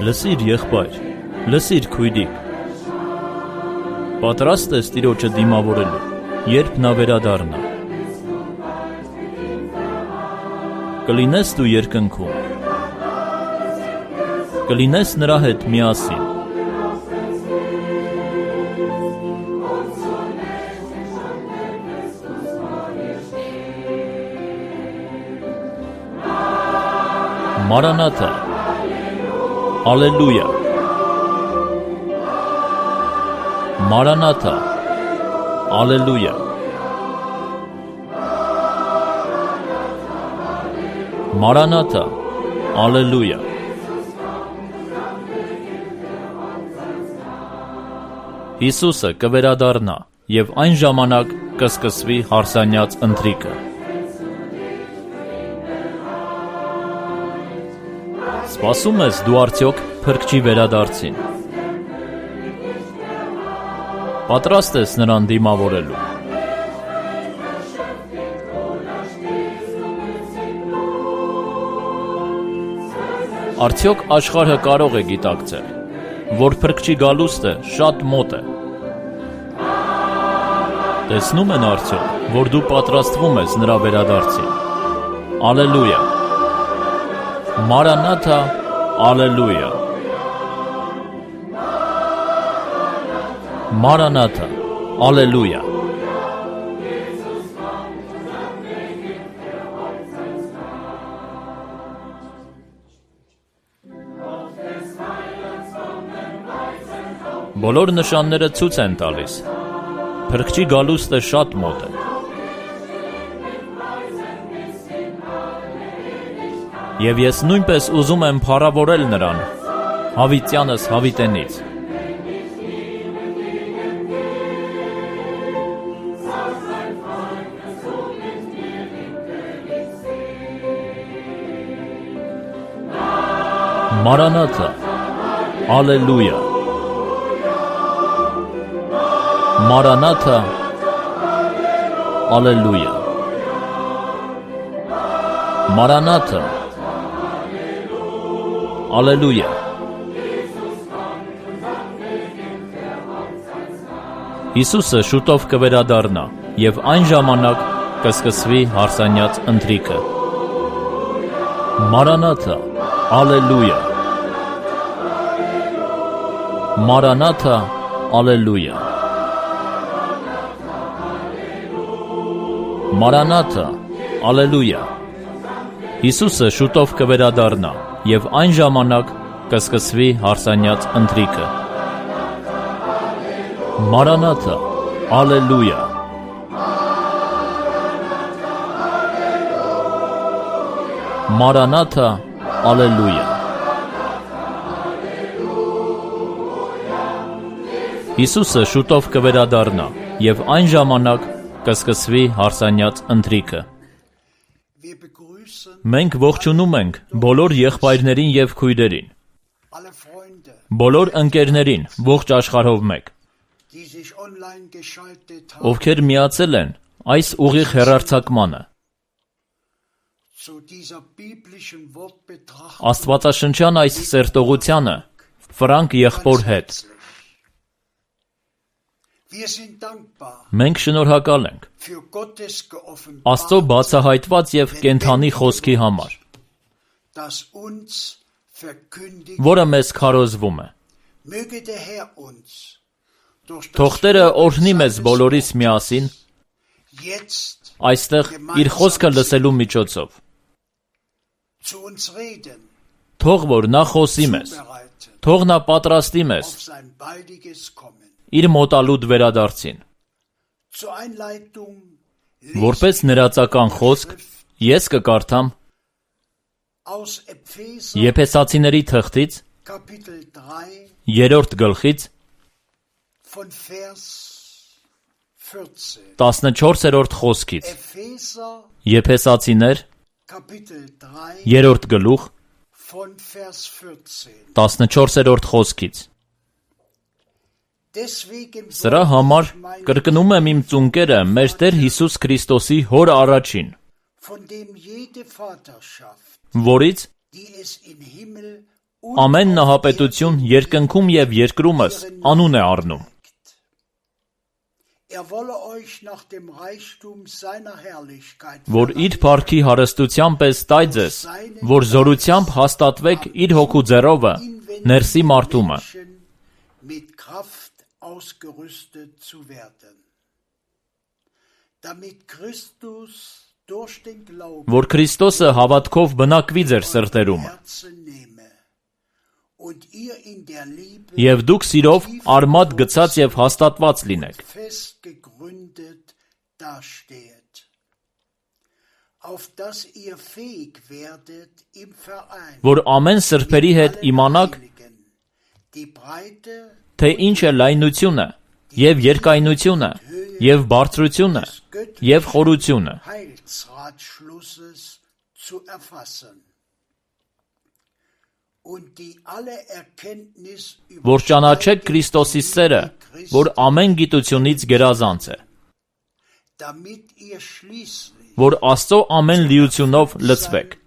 Լսիր եղբայր, լսիր քույրիկ, պատրաստ ես Տիրոջը դիմավորելու, երբ նա վերադառնա։ Կլինես դու երկնքում, կլինես նրա հետ միասին։ Մարանաթա, Ալելույա, Մարանաթա, Ալելույա, Մարանաթա, Ալելույա։ Հիսուսը կվերադառնա և այն ժամանակ կսկսվի հարսանյաց ընթրիքը։ Սպասում ես դու արդյոք Փրկչի վերադարձին։ Պատրաստ ես նրան դիմավորելու։ Արդյոք աշխարհը կարող է գիտակցել, որ Փրկչի գալուստը շատ մոտ է։ Տեսնում են արդյոք, որ դու պատրաստվում ես նրա վերադարձին։ Ալելույա։ Մարանաթա, Ալելույա։ Մարանաթա, Ալելույա։ Բոլոր նշանները ցույց են տալիս։ Փրկչի գալուստը շատ մոտ է։ Եվ ես նույնպես ուզում եմ փառավորել նրան, հավիտյանս հավիտենից։ Մարանաթա, Ալելույա։ Մարանաթա, Ալելույա։ Մարանաթա, Ալելույա։ Հիսուսը շուտով կվերադառնա և այն ժամանակ կսկսվի հարսանյաց ընթրիքը։ Մարանաթա, Ալելույա։ Մարանաթա, Ալելույա։ Մարանաթա, Ալելույա։ Հիսուսը շուտով կվերադառնա և այն ժամանակ կսկսվի հարսանյաց ընթրիքը։ Մարանաթա, Ալելույա։ Մարանաթա, Ալելույա։ Հիսուսը շուտով կվերադառնա և այն ժամանակ կսկսվի հարսանյաց ընթրիքը։ Մենք ողջունում ենք բոլոր եղբայրներին և քույրերին, բոլոր ընկերներին ողջ աշխարհով մեկ, ովքեր միացել են այս ուղիղ հեռարձակմանը։ Աստվածաշնչյան այս սերտողությանը Ֆրանկ եղբոր հետ։ Մենք շնորհակալ ենք Աստծո բացահայտված և կենդանի խոսքի համար, որը մեզ քարոզվում է։ Թող Տերը օրհնի մեզ բոլորիս միասին այստեղ իր խոսքը լսելու միջոցով։ Թող որ նա խոսի մեզ, թող նա պատրաստի մեզ իր մոտալուտ վերադարձին։ Որպես ներածական խոսք, ես կկարդամ Եփեսացիների թղթից 3-րդ գլխից 14-րդ խոսքից։ Եփեսացիներ 3-րդ գլուխ 14-րդ խոսքից։ Սրա համար կրկնում եմ իմ ծունկերը մեր Տեր Հիսուս Քրիստոսի Հոր առաջին, որից Ամեն նահապետություն երկնքում և երկրումս անուն է առնում։ Որ իր փառքի հարստության պես տայ ձեզ, որ զորությամբ հաստատվեք իր հոգու ձեռովը ներսի մարդումը։ Որ Քրիստոսը հավատքով բնակվի ձեր սրտերում, և դուք սիրով արմատ գցած և հաստատված լինեք, որ ամեն սրբերի հետ իմանաք, թե ինչ է լայնությունը, և երկայնությունը, և բարձրությունը, և խորությունը, որ ճանաչեք Քրիստոսի սերը, որ ամեն գիտությունից գերազանց է, որ Աստծո ամեն լիությունով լցվեք։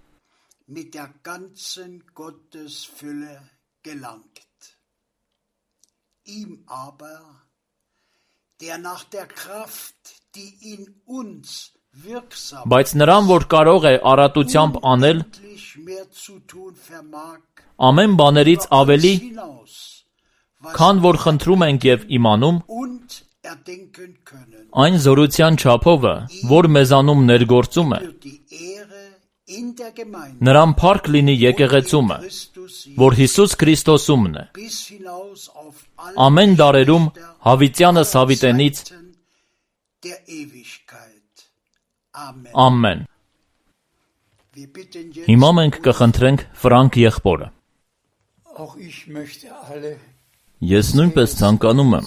Բայց նրան, որ կարող է առատությամբ անել ամեն բաներից ավելի, քան որ խնդրում ենք և իմանում, այն զորության չափովը, որ մեզանում ներգործում է, նրան փառք լինի եկեղեցումը, որ Հիսուս Քրիստոսումն է, ամեն դարերում հավիտյանս հավիտենից, ամեն։ Հիմա մենք կխնդրենք Ֆրանկ եղբորը։ Ես նույնպես ցանկանում եմ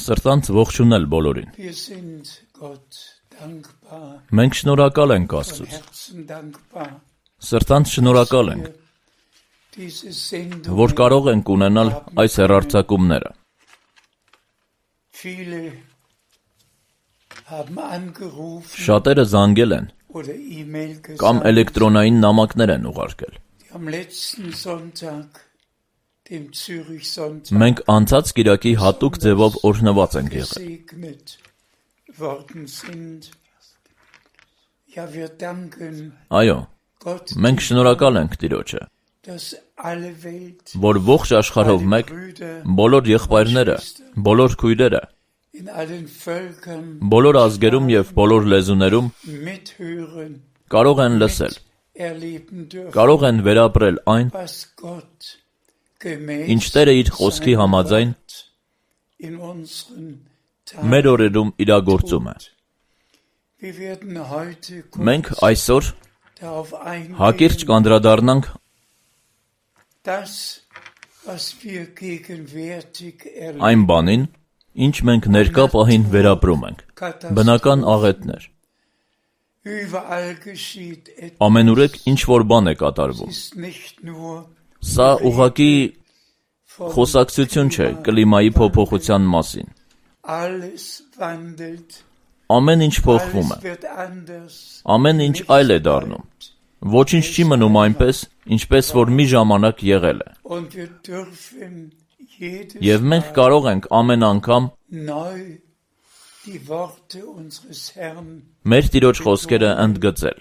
սրտանց ողջունել բոլորին։ Մենք շնորհակալ ենք Աստծուց։ Սրտանց շնորհակալ ենք, որ կարող ենք ունենալ այս հեռարձակումները։ Շատերը զանգել են կամ էլեկտրոնային նամակներ են ուղարկել։ Մենք անցած կիրակի հատուկ ձևով օրհնված ենք եղել։ Այո, մենք շնորհակալ ենք Տիրոջը, որ ողջ աշխարհով մեկ բոլոր եղբայրները, բոլոր քույրերը, բոլոր ազգերում և բոլոր լեզուներում կարող են լսել, կարող են վերապրել այն, ինչ Տերը իր խոսքի համաձայն մեր օրերում իրագործում է։ Մենք այսօր հակիրճ կանդրադառնանք այն բանին, ինչ մենք ներկա պահին վերապրում ենք, բնական աղետներ։ Ամենուրեք ինչ-որ բան է կատարվում։ Սա ուղղակի խոսակցություն չէ կլիմայի փոփոխության մասին։ Ամեն ինչ փոխվում է։ Ամեն ինչ այլ է դառնում։ Ոչինչ չի մնում այնպես, ինչպես որ մի ժամանակ եղել է։ Եվ մենք կարող ենք ամեն անգամ մեր Տիրոջ խոսքերը ընդգծել։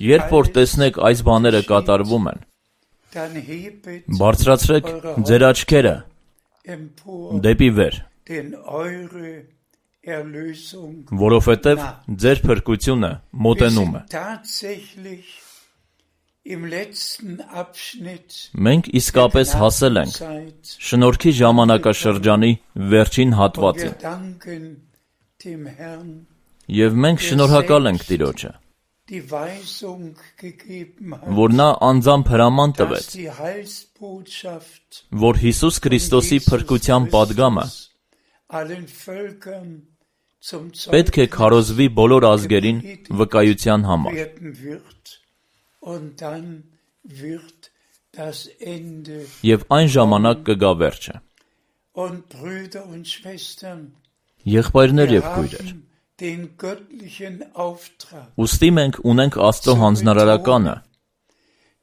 Երբ որ տեսնեք այս բաները կատարվում են, բարձրացրեք ձեր աչքերը դեպի վեր, որովհետև ձեր փրկությունը մոտենում է։ Մենք իսկապես հասել ենք շնորհքի ժամանակաշրջանի վերջին հատվածին։ Եվ մենք շնորհակալ ենք Տիրոջը, որ նա անձամբ հրաման տվեց, որ Հիսուս Քրիստոսի փրկության պատգամը պետք է քարոզվի բոլոր ազգերին վկայության համար։ Եվ այն ժամանակ կգա վերջը։ Եղբայրներ և քույրեր, den göttlichen Auftrag, Ուստի մենք ունենք Աստծո հանձնարարականը,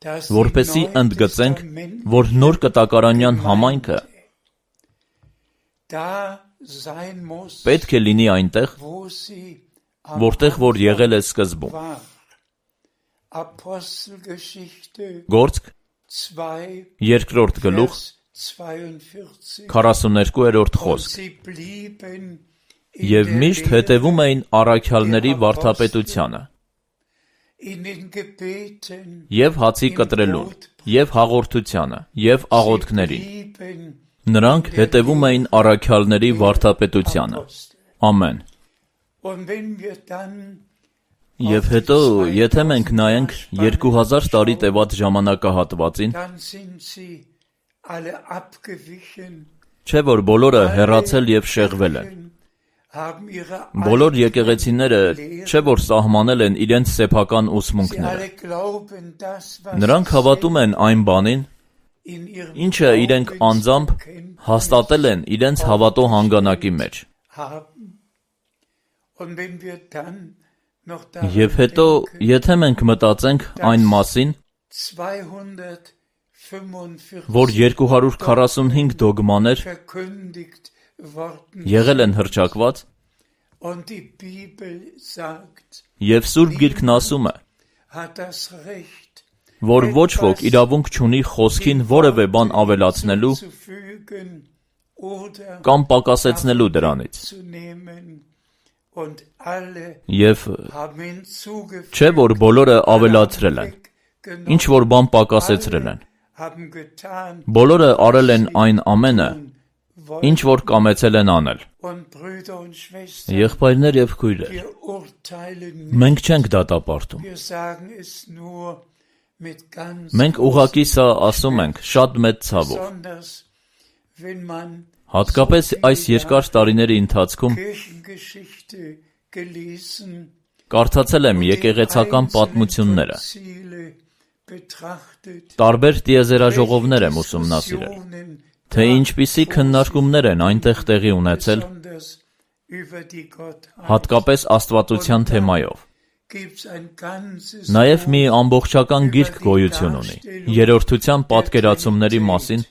dass որպեսզի die ընդգծենք, որ նոր կտակարանյան համայնքը da sein muss, պետք է լինի այնտեղ, wo sie am որտեղ որ եղել է սկզբում։ war. Apostelgeschichte Գործք 2, երկրորդ գլուխ Vers 42. 42-րդ Und խոսք։ sie blieben Եվ միշտ հետևում էին առաքյալների վարդապետությանը, in den Gebeten, եւ հացի կտրելուն, եւ հաղորդությանը, եւ աղոթքներին։ blieben Նրանք հետևում էին առաքյալների վարդապետությանը։ Apostel. Ամեն։ Und wenn wir dann Եվ հետո, եթե մենք նայենք 2000 տարի տևած ժամանակահատվածին, dann sind sie alle abgewichen, չէ որ բոլորը հեռացել եւ շեղվել են։ haben ihre Բոլոր եկեղեցիները չէ որ սահմանել են իրենց սեփական Sie ուսմունքները։ alle glauben das, was Նրանք հավատում են այն բանին, in ihrem ինչը իրենք անձամբ հաստատել են իրենց հավատո հանգանակի մեջ։ haben. Und wenn wir dann noch Եվ հետո, եթե մենք մտածենք այն մասին, 245 որ 245 դոգմաներ verkündigt worden եղել են հռչակված, und die Bibel sagt, եւ Սուրբ Գիրքն ասում է, hat das Recht, որ ոչ ոք իրավունք չունի խոսքին որևէ բան ավելացնելու zufügen oder կամ պակասեցնելու դրանից։ abzunehmen. Und alle Եվ haben hinzugefügt, չէ որ բոլորը ավելացրել են, ինչ որ բան պակասեցրել են։ haben getan, Բոլորը արել են այն ամենը, ինչ որ կամեցել են անել։ und Brüder und Schwestern, Եղբայրներ եւ քույրեր, wir urteilen nicht, մենք չենք դատապարտում։ wir sagen es nur mit ganz Մենք ուղղակի սա ասում ենք շատ մեծ ցավով։ besonders, wenn man Հատկապես այս երկար տարիների ընթացքում Kirchengeschichte gelesen, կարդացել եմ եկեղեցական պատմությունները, Ziele betrachtet, տարբեր տիեզերաժողովներ եմ ուսումնասիրել, թե ինչպիսի քննարկումներ են այնտեղ տեղի ունեցել, besonders über die Gottheit. հատկապես աստվածության թեմայով։ Gibt's ein ganzes Նաև մի ամբողջական գիրք գոյություն ունի երրորդության պատկերացումների մասին,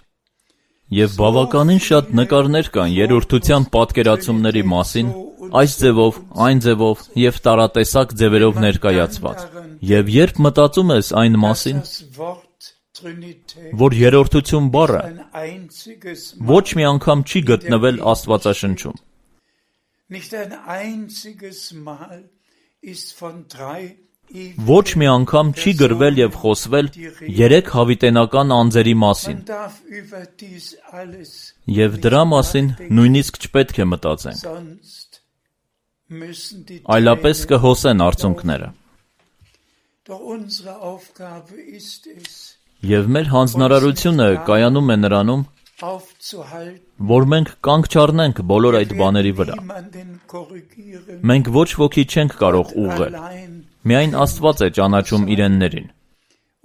եւ բավականին շատ նկարներ կան երրորդության պատկերացումների մասին, այս ձևով, այն ձևով եւ տարատեսակ ձևերով ներկայացված։ Եվ երբ մտածում ես այն մասին, das Wort Trinität որ երրորդություն բառը ein einziges ոչ մի անգամ չի գտնվել Աստվածաշնչում, nicht ein einziges Mal ist von drei ոչ մի անգամ չի գրվել եւ խոսվել երեք հավիտենական անձերի մասին, Man darf über dies alles, եւ դրա մասին նույնիսկ չպետք է մտածենք, sonst müssen die այլապես Tränen- կհոսեն արցունքները։ Doch unsere Aufgabe ist es, Եվ մեր հանձնարարությունը կայանում է նրանում, aufzuhalten, որ մենք կանգ չառնենք բոլոր այդ բաների վրա։ niemanden korrigieren, Մենք ոչ ոքի չենք կարող ուղղել, allein միայն Աստված է ճանաչում իրեններին։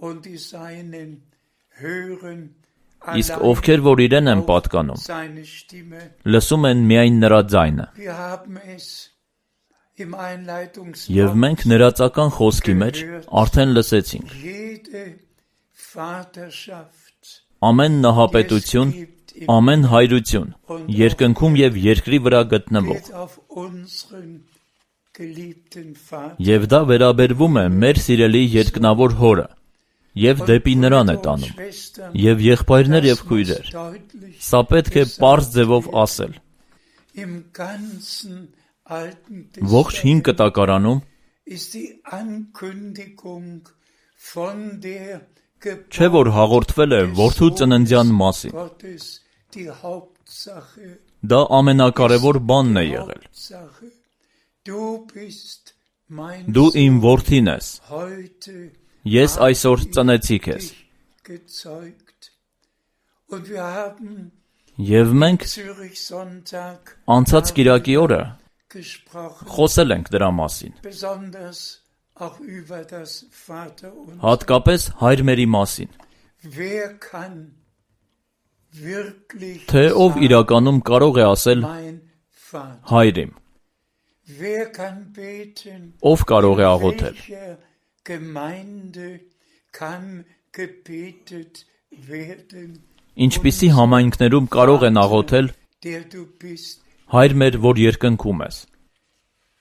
und die Seinen hören Իսկ allein ովքեր որ իրեն են պատկանում, seine Stimme. լսում են միայն նրա ձայնը։ Wir haben es im Einleitungswort. Եվ մենք ներածական խոսքի մեջ արդեն լսեցինք. Jede Vaterschaft, ամեն նահապետություն, ամեն հայրություն, երկնքում եւ երկրի վրա գտնվող, geht auf unseren geliebten Vater. եւ դա վերաբերվում է մեր սիրելի երկնավոր հորը, եւ դեպի նրան է տանում։ Schwestern, Եվ եղբայրներ եւ քույրեր, deutlich սա պետք է պարզ ձևով ասել։ im ganzen Alten Ողջ հին կտակարանում ist die Ankündigung von der չէ որ հաղորդվել է որդու ծննդյան մասին։ Gottes die Hauptsache. Դա ամենակարևոր բանն է եղել։ Hauptsache. Du bist mein Դու իմ Sohn, որդին ես, heute ես այսօր ծնեցի քեզ։ dich gezeugt. Und wir haben Եվ մենք Zürich Sonntag անցած կիրակի օրը gesprochen, խոսել ենք դրա մասին, besonders auch über das Vaterunser. հատկապես հայրմերի մասին, Wer kann wirklich թե ով իրականում կարող է ասել mein Vater? հայր իմ։ Wer kann beten? Ով կարող է աղոթել։ Welcher Gemeinde kann gebetet werden? Ինչպիսի համայնքներում կարող են աղոթել, Der du bist, Հայր մեր, որ երկնքում ես։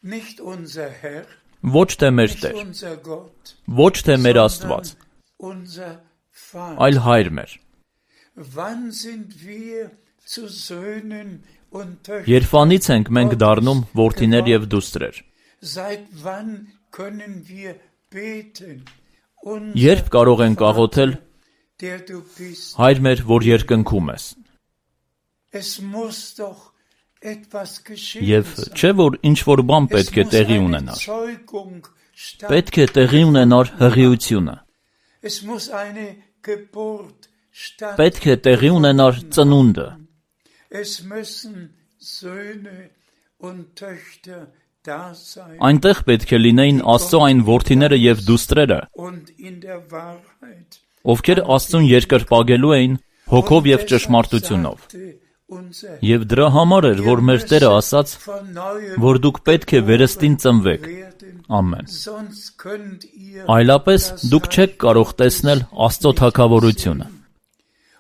nicht unser Herr, Ոչ թե մեր nicht Տեր, unser Gott, ոչ թե մեր Աստված, sondern unser Vater. այլ Հայր մեր։ Wann sind wir zu Söhnen und Töchtern? Երբանից ենք մենք դառնում որդիներ եւ դուստրեր։ Seit wann können wir beten? Unser Երբ կարող ենք աղոթել, der du bist. Հայր մեր, որ երկնքում ես։ Es muss doch etwas geschehen Եվ sein. չէ որ ինչ որ բան Es պետք է muss տեղի eine ունենար։ Zeugung Պետք է տեղի ունենար հղիությունը։ Es muss eine Geburt Պետք է տեղի ունենար ծնունդը։ Es müssen Söhne und Töchter da sein. Այնտեղ պետք է լինեին Աստծո այն որդիները եւ դուստրերը, Und in der Wahrheit. ովքեր Աստծուն երկրպագելու էին հոգով եւ ճշմարտությունով։ Unser Եվ դրա համար էր, որ մեր Տերը ասաց, von neuem որ դուք պետք է վերստին ծնվեք։ werden. Ամեն։ Sonst könnt ihr Այլապես դուք չեք կարող տեսնել Աստծո թագավորությունը։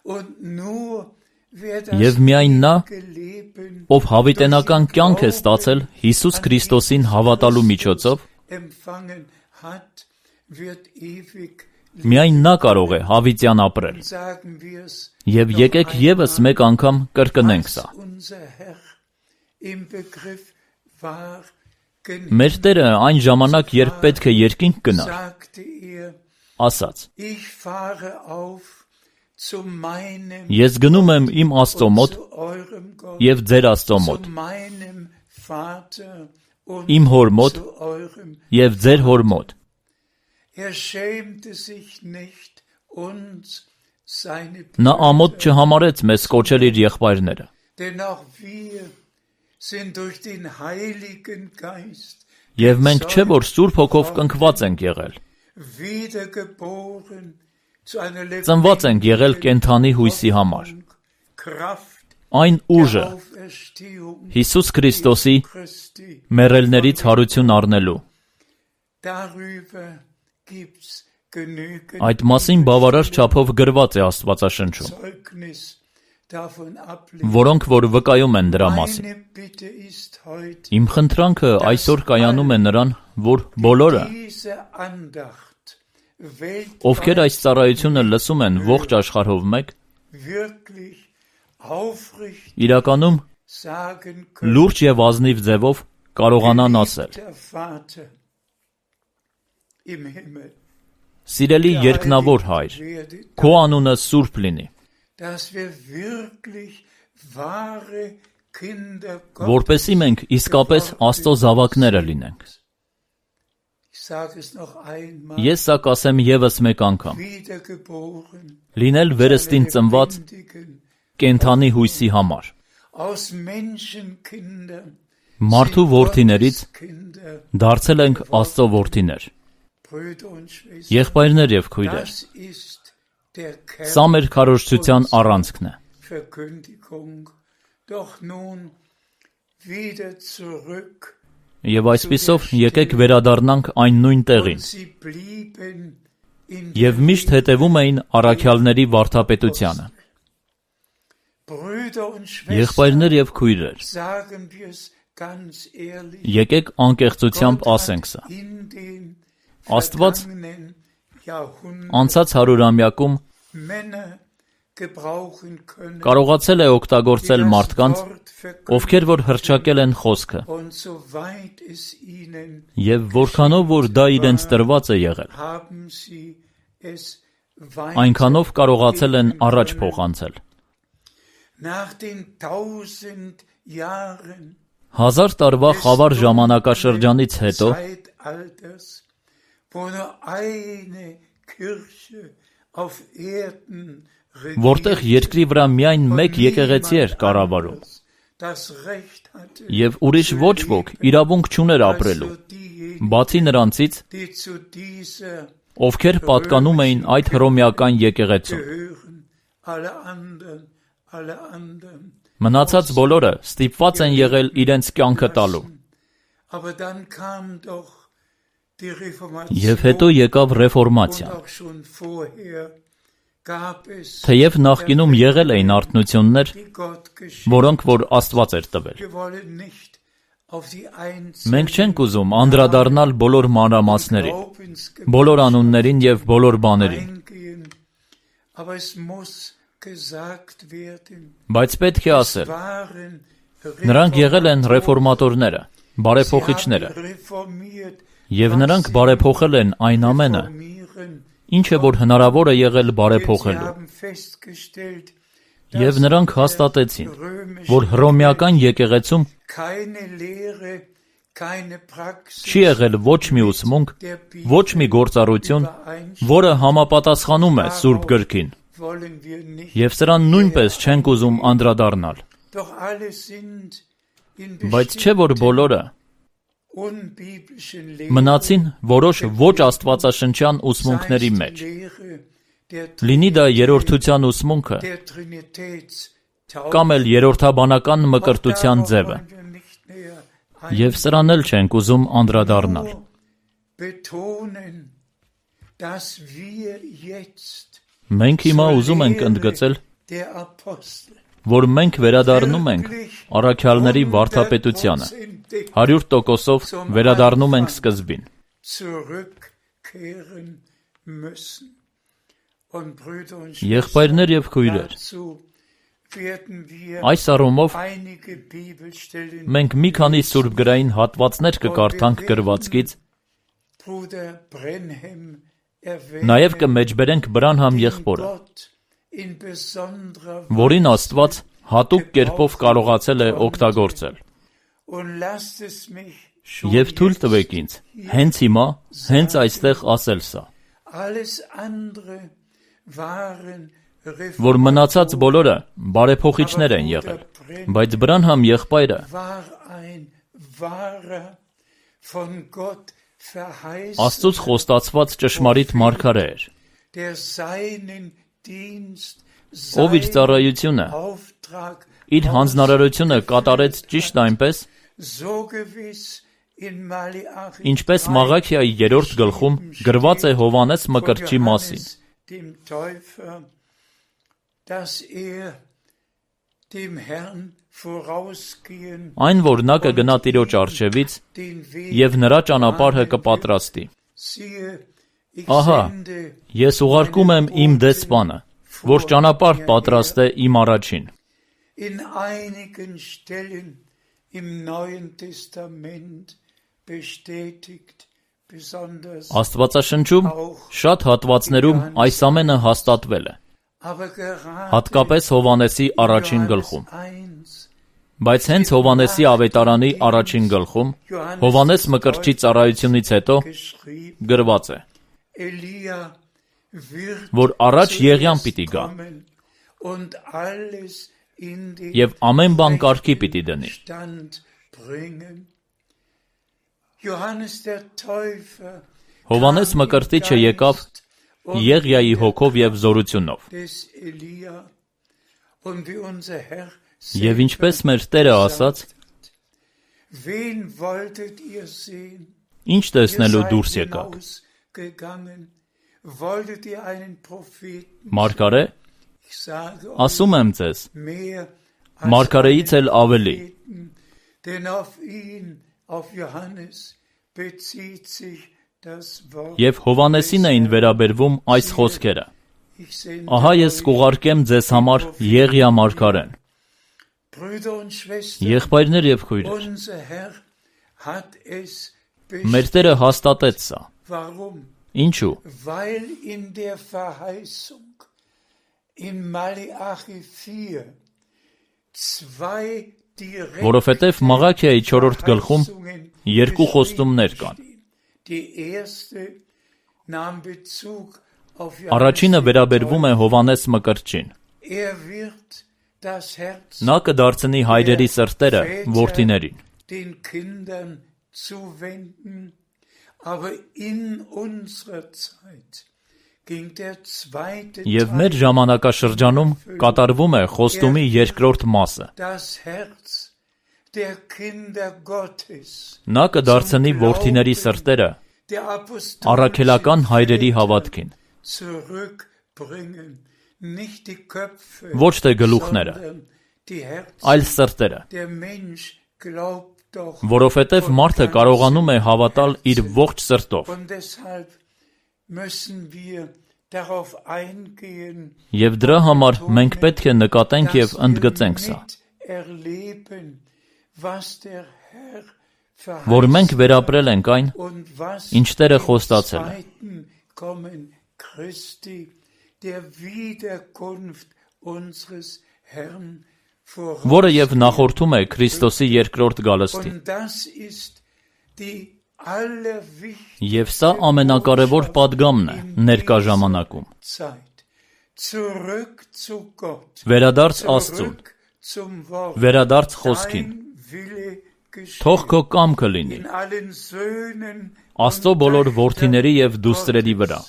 und nur wer das Եվ միայն նա, Leben ով հավիտենական կյանք է ստացել Հիսուս Քրիստոսին հավատալու միջոցով, empfangen hat, wird ewig միայն նա կարող է հավիտյան ապրել։ sagen wir es. Եվ եկեք եւս մեկ անգամ կրկնենք սա։ Unser Herr im Begriff war, Մեր Տերը այն ժամանակ, երբ պետք է երկինք գնար, sagte er, ասաց. ich fahre auf zu meinem Ես գնում եմ իմ Աստծո մոտ zu eurem Gott, եւ ձեր Աստծո մոտ, zu meinem Vater und իմ հոր մոտ zu eurem. եւ ձեր հոր մոտ։ Schämte sich nicht, uns seine Նա ամոթ չհամարեց մեզ կոչել իր եղբայրները, denn auch wir sind durch den Heiligen Geist եւ մենք չէ որ Սուրբ Հոգով կնքված ենք եղել, wiedergeboren zu einer ծնված ենք եղել կենթանի հույսի համար, Kraft այն ուժը der Auferstehung Հիսուս Քրիստոսի Christi. մեռելներից հարություն առնելու։ Darüber gibt's genügend Այդ մասին բավարար չափով գրված է Աստվածաշնչում, Zeugnis davon ablegen. որոնք որ վկայում են դրա մասին։ Meine Bitte ist heute, Իմ խնդրանքը այսօր կայանում է նրան, որ բոլորը, diese Andacht ովքեր weltweit այս ծառայությունը լսում են ողջ աշխարհով մեկ, wirklich aufrichtig իրականում sagen können, լուրջ եւ ազնիվ ձևով կարողանան ասել. der Vater im Himmel, Սիրելի երկնավոր Հայր, werde, քո անունը սուրբ լինի, dass wir wirklich wahre Kinder որպեսզի մենք իսկապես Աստծո զավակները լինենք։ Ich sage es noch einmal, Ես սա կասեմ եւս մեկ անգամ. wiedergeboren, Լինել վերստին ծնված lebendigen, կենթանի հույսի համար, aus Menschenkindern, մարդու որդիներից Kinder, դարձել ենք Աստծո որդիներ, Brüder und Schwestern. եղբայրներ եւ քույրեր։ Das ist der Սա մեր քարոզչության առանցքն է։ Verkündigung. Doch nun wieder zurück. Եվ այսպիսով եկեք վերադառնանք այն նույն տեղին։ Und sie blieben in Եվ միշտ հետևում էին առաքյալների վարդապետությանը։ Brüder und Schwestern, Եղբայրներ եւ քույրեր, sagen wir es ganz ehrlich, եկեք անկեղծությամբ Gott ասենք hat սա։ in den Աստված vergangenen Jahrhunderten անցած 100-ամյակում Männer gebrauchen können, կարողացել է die օգտագործել das մարդկանց, Wort verkündigen. ովքեր որ հրճակել են խոսքը, Und soweit es ihnen եւ որքանով որ դա իրենց տրված է եղել, haben sie es այնքանով կարողացել են առաջ փոխանցել։ nach den 1000 Jahren 1000 տարվա խավար ժամանակաշրջանից հետո, Zeitalters, wo nur eine Kirche auf Erden որտեղ երկրի վրա միայն մեկ եկեղեցի էր կառավարում, das Recht hatte, եւ ուրիշ ոչ ոք իրավունք չուներ ապրելու, also diejenigen, բացի նրանցից, die zu dieser ովքեր պատկանում էին այդ հռոմեական եկեղեցուն։ gehören, alle anderen Մնացած բոլորը ստիպված են եղել իրենց կյանքը տալու, Aber dann kam doch die Reformation. Եվ հետո եկավ ռեֆորմացիան։ Und auch schon vorher gab es Թեև նախկինում եղել էին արթնություններ, die Gott geschenkt. որոնք որ Աստված էր տվել։ Wir wollen nicht auf die einzelnen Մենք չենք ուզում անդրադառնալ բոլոր մանրամասներին, Glaubensgebiete բոլոր անուններին եւ բոլոր բաներին, eingehen, aber es muss gesagt werden, բայց պետք է ասել, waren նրանք եղել են ռեֆորմատորները, բարեփոխիչները, reformiert, եւ նրանք բարեփոխել են այն ամենը, reformieren. ինչը որ հնարավոր է եղել Sie բարեփոխելու։ haben festgestellt, Եւ նրանք հաստատեցին, որ հռոմեական եկեղեցում keine Lehre, keine Praxis չի եղել ոչ մի ուսմունք, ոչ մի գործառույթուն, որը համապատասխանում է Սուրբ Գրքին, wollen wir nicht. եւ սրան նույնպես չենք ուզում անդրադառնալ։ Doch alle sind in Բայց չէ որ բոլորը unbiblischen մնացին որոշ ոչ աստվածաշնչյան ուսմունքների մեջ։ Lehre der Լինի դա երրորդության ուսմունքը Trinitätstaufe. կամ էլ երրորդաբանական մկրտության ձևը, եւ սրան էլ չենք ուզում անդրադառնալ։ Betonen, dass wir jetzt Մենք հիմա ուզում ենք ընդգծել, der Apostel որ մենք վերադառնում ենք առաքյալների վարդապետությանը, 100%-ով վերադառնում ենք սկզբին։ zurückkehren müssen. Und Brüder und Եղբայրներ եւ քույրեր, dazu werden wir այս առումով einige Bibelstellen մենք մի քանի սուրբ գրային հատվածներ կկարդանք գրվածքից, Bruder Brenhem նաեւ կմեջբերենք Բրանհամ եղբորը, Gott in besonderer որին Աստված հատուկ կերպով կարողացել է օգտագործել։ und lasst es mich Եվ թույլ տվեք ինձ հենց հիմա, հենց այստեղ ասել սա, alles andere waren որ մնացած բոլորը բարեփոխիչներ են եղել, բայց Բրանհամ եղբայրը war ein wahrer von Gott verheißen, Աստծուց խոստացված ճշմարիտ մարգարե էր, der seinen Dienst, ով իր ծառայությունը, Auftrag իր հանձնարարությունը կատարեց ճիշտ այնպես, so gewiss in Malachi ինչպես Մաղաքիայի 3-րդ գլխում գրված է Հովանես Մկրտչի մասին, dem Täufer, dass dem Herrn vorausgehen, այն որ նա կգնա Տիրոջ առջևից den Weg եւ նրա ճանապարհը կպատրաստի։ siehe, ich Ահա, sende ես ուղարկում եմ իմ դեսպանը, որ ճանապարհ պատրաստե իմ առաջին։ in einigen Stellen im Neuen Testament bestätigt, besonders Աստվածաշնչում շատ հատվածներում այս ամենը հաստատվել է, aber gerade հատկապես Հովանեսի առաջին գլխում։ 1 Բայց հենց Հովանեսի ավետարանի առաջին գլխում, Հովանես Մկրտչի ծառայությունից հետո geschrieben, գրված է, Elia wird որ առաջ Եղիան պիտի գա kommen und alles in den եւ ամեն բան կարգի պիտի դնի։ Stand bringen. Johannes der Täufer Հովանես Մկրտիչը եկավ Եղիայի հոգով եւ զորությունով։ des Elia und wie unser Herr Եվ ինչպես մեր Տերը ասաց, wen wolltet ihr sehen? ինչ Ihr տեսնելու seid դուրս եկաք։ hinausgegangen. Wolltet ihr einen Propheten? Մարգարե, Ich sage euch ասում եմ ձեզ, mehr մարգարեից էլ ավելի, Propheten, denn auf ihn, auf Johannes, bezieht sich das Wort. եւ Հովանեսին էին վերաբերվում այս խոսքերը։ Ich sende Ահա ես euch, կուղարկեմ ձեզ համար Եղիա մարգարեն։ Brüder und Schwestern, Եղբայրներ եւ քույրեր, unser Herr hat es մեր Տերը հաստատեց սա։ Warum? Ինչու՞։ Weil in der Verheißung in Malachi 4 zwei direkt Որովհետև Մաղաքիայի 4-րդ գլխում Verheißungen երկու խոստումներ կան։ Die erste nahm Bezug auf Առաջինը Johannes. վերաբերվում է Հովանես Մկրտչին։ Wird das Herz Նա կդարձնի հայրերի սրտերը որդիներին, den Kindern zuwenden, aber in unserer Zeit ging der zweite եւ մեր ժամանակաշրջանում կատարվում է խոստումի երկրորդ մասը։ das Herz der Kinder Gottes, Նա կդարձնի որդիների սրտերը der առաքելական հայրերի հավատքին, zurückbringen, nicht die Köpfe, ոչ թե գլուխները, sondern die Herzen. այլ սրտերը, Der Mensch glaubt doch, որովհետև մարդը կարողանում է հավատալ իր ողջ սրտով, und deshalb müssen wir darauf eingehen, եւ դրա համար մենք պետք է նկատենք եւ dass wir ընդգծենք սա, miterleben, was der Herr որ մենք verheißen վերապրել ենք այն, und was ինչ Տերը im խոստացել է, zweiten Kommen Christi, der Wiederkunft unseres Herrn որը եւ նախորդում է Քրիստոսի երկրորդ գալստին, Und das ist die allerwichtigste եւ սա ամենակարևոր պատգամն է ներկա ժամանակում, Zeit. Zurück zu Gott, վերադարձ Աստծուն, zurück zum Wort, վերադարձ խոսքին, dein Wille թող geschehen քո կամքը լինի, in allen Söhnen Աստծո բոլոր որդիների եւ դուստրերի վրա,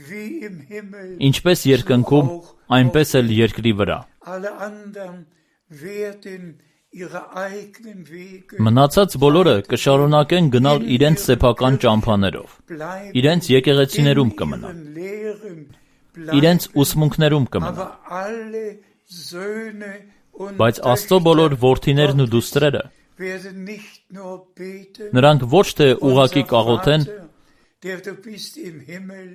wie im Himmel, ինչպես երկնքում, այնպես էլ երկրի վրա, alle anderen werden ihre eigenen Wege մնացած բոլորը կշարունակեն գնալ իրենց սեփական ճամփաներով, bleiben, իրենց եկեղեցիներում կմնա, in ihren Lehren իրենց bleiben, ուսմունքներում կմնա, aber alle Söhne und բայց Աստծո բոլոր Töchter որդիներն ու դուստրերը werden nicht nur beten, նրանք ոչ թե ուղակի unser կաղոթեն, Vater, der du bist im Himmel,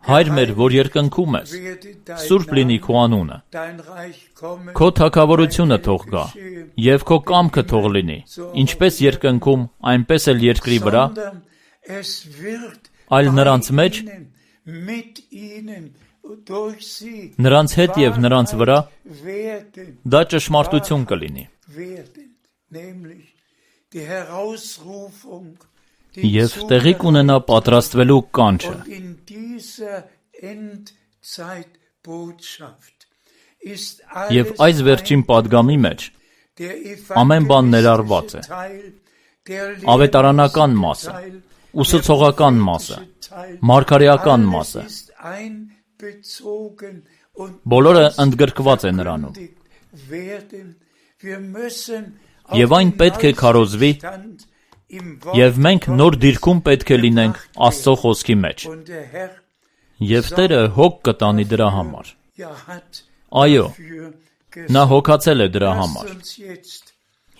հայր մեր, որ երկնքում ես, werde dein սուրբ լինի քո անունը, dein Reich kommen, քո թագավորությունը թող գա, եւ քո կամքը թող լինի, ինչպես երկնքում, այնպես էլ երկրի վրա, sondern es wird այլ նրանց bei մեջ, ihnen, mit ihnen, durch sie նրանց հետ եւ նրանց վրա werden, դա ճշմարտություն կլինի, nämlich die Herausrufung, եւ տեղի կունենա պատրաստվելու կանչը, und in dieser Endzeitbotschaft ist եւ alles այս վերջին պատգամի մեջ der ամեն բան ներառված է, evangelistische Teil, der ավետարանական մասը, Teil, ուսուցողական մասը, Teil, մարգարեական alles մասը, ist einbezogen und բոլորը ընդգրկված է նրանում, werden. Wir müssen եւ այն պետք է քարոզվի, եւ մենք նոր դիրքում պետք է լինենք Աստծո խոսքի մեջ, und der Herr եւ Տերը հոգ կտանի դրա համար, ja hat այո, für նա հոգացել է դրա համար, Lasst uns jetzt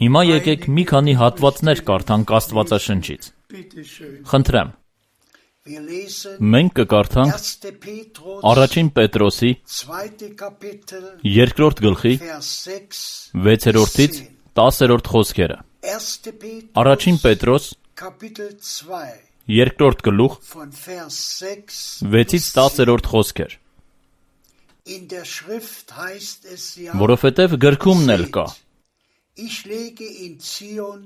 հիմա եկեք մի քանի հատվածներ կարդանք Աստվածաշնչից, bitte schön խնդրեմ, Wir lesen մենք կկարդանք 1. Petrus, առաջին Պետրոսի 2. Kapitel, երկրորդ գլխի Vers 6, 6-րդից 10-րդ խոսքերը, 1. Petrus, առաջին Պետրոս Kapitel 2, երկրորդ գլուխ von Vers 6 6-ից 10-րդ խոսքեր, In der Schrift heißt es ja, որովհետև գրքումն էլ կա, ich lege in Zion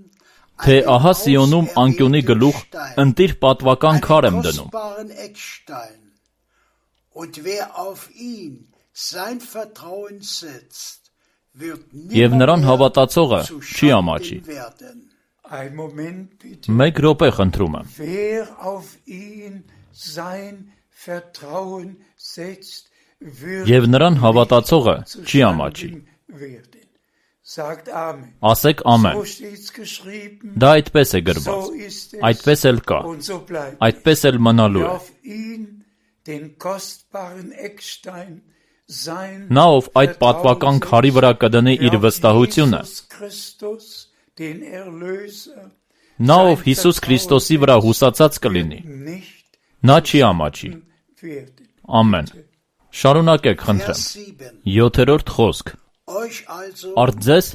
թե ահա Սիոնում անկյունի գլուխ ընտիր պատվական քար եմ դնում, kostbaren Eckstein. Und wer auf ihn sein Vertrauen setzt, wird եւ նրան nimmermehr հավատացողը zu չի ամաչի, Schanden werden. ein Moment bitte մեկ րոպե խնդրում եմ, wer auf ihn sein Vertrauen setzt wird եւ նրան հավատացողը zu չի ամաչի, Schanden werden. Sagt Amen. ասեք ամեն, So steht's geschrieben, դա այդպես է գրված, so ist es այդպես էլ կա, und so bleibt. այդպես էլ մնալու Wer է, auf ihn, den kostbaren Eckstein, sein նա ով այդ պատվական քարի վրա կդնի իր վստահությունը, Jesus Christus, den Erlöser, նա ով Հիսուս Քրիստոսի վրա հուսացած կլինի, nicht նա չի ամաչի, werden. ամեն, շարունակեք խնդրեմ, Vers 7. 7-րդ խոսք, Euch also, արդ ձեզ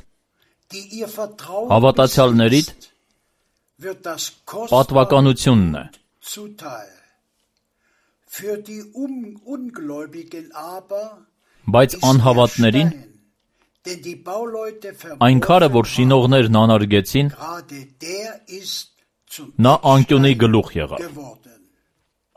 die ihr Vertrauen հավատացյալներիդ besitzt, wird das kostbare պատվականությունն է, zuteil. Für die Ungläubigen aber բայց ist der անհավատներին Stein, den die Bauleute այն քարը, որ verworfen շինողներն անարգեցին, gerade der ist zum նա անկյունի Eckstein գլուխ եղավ, geworden.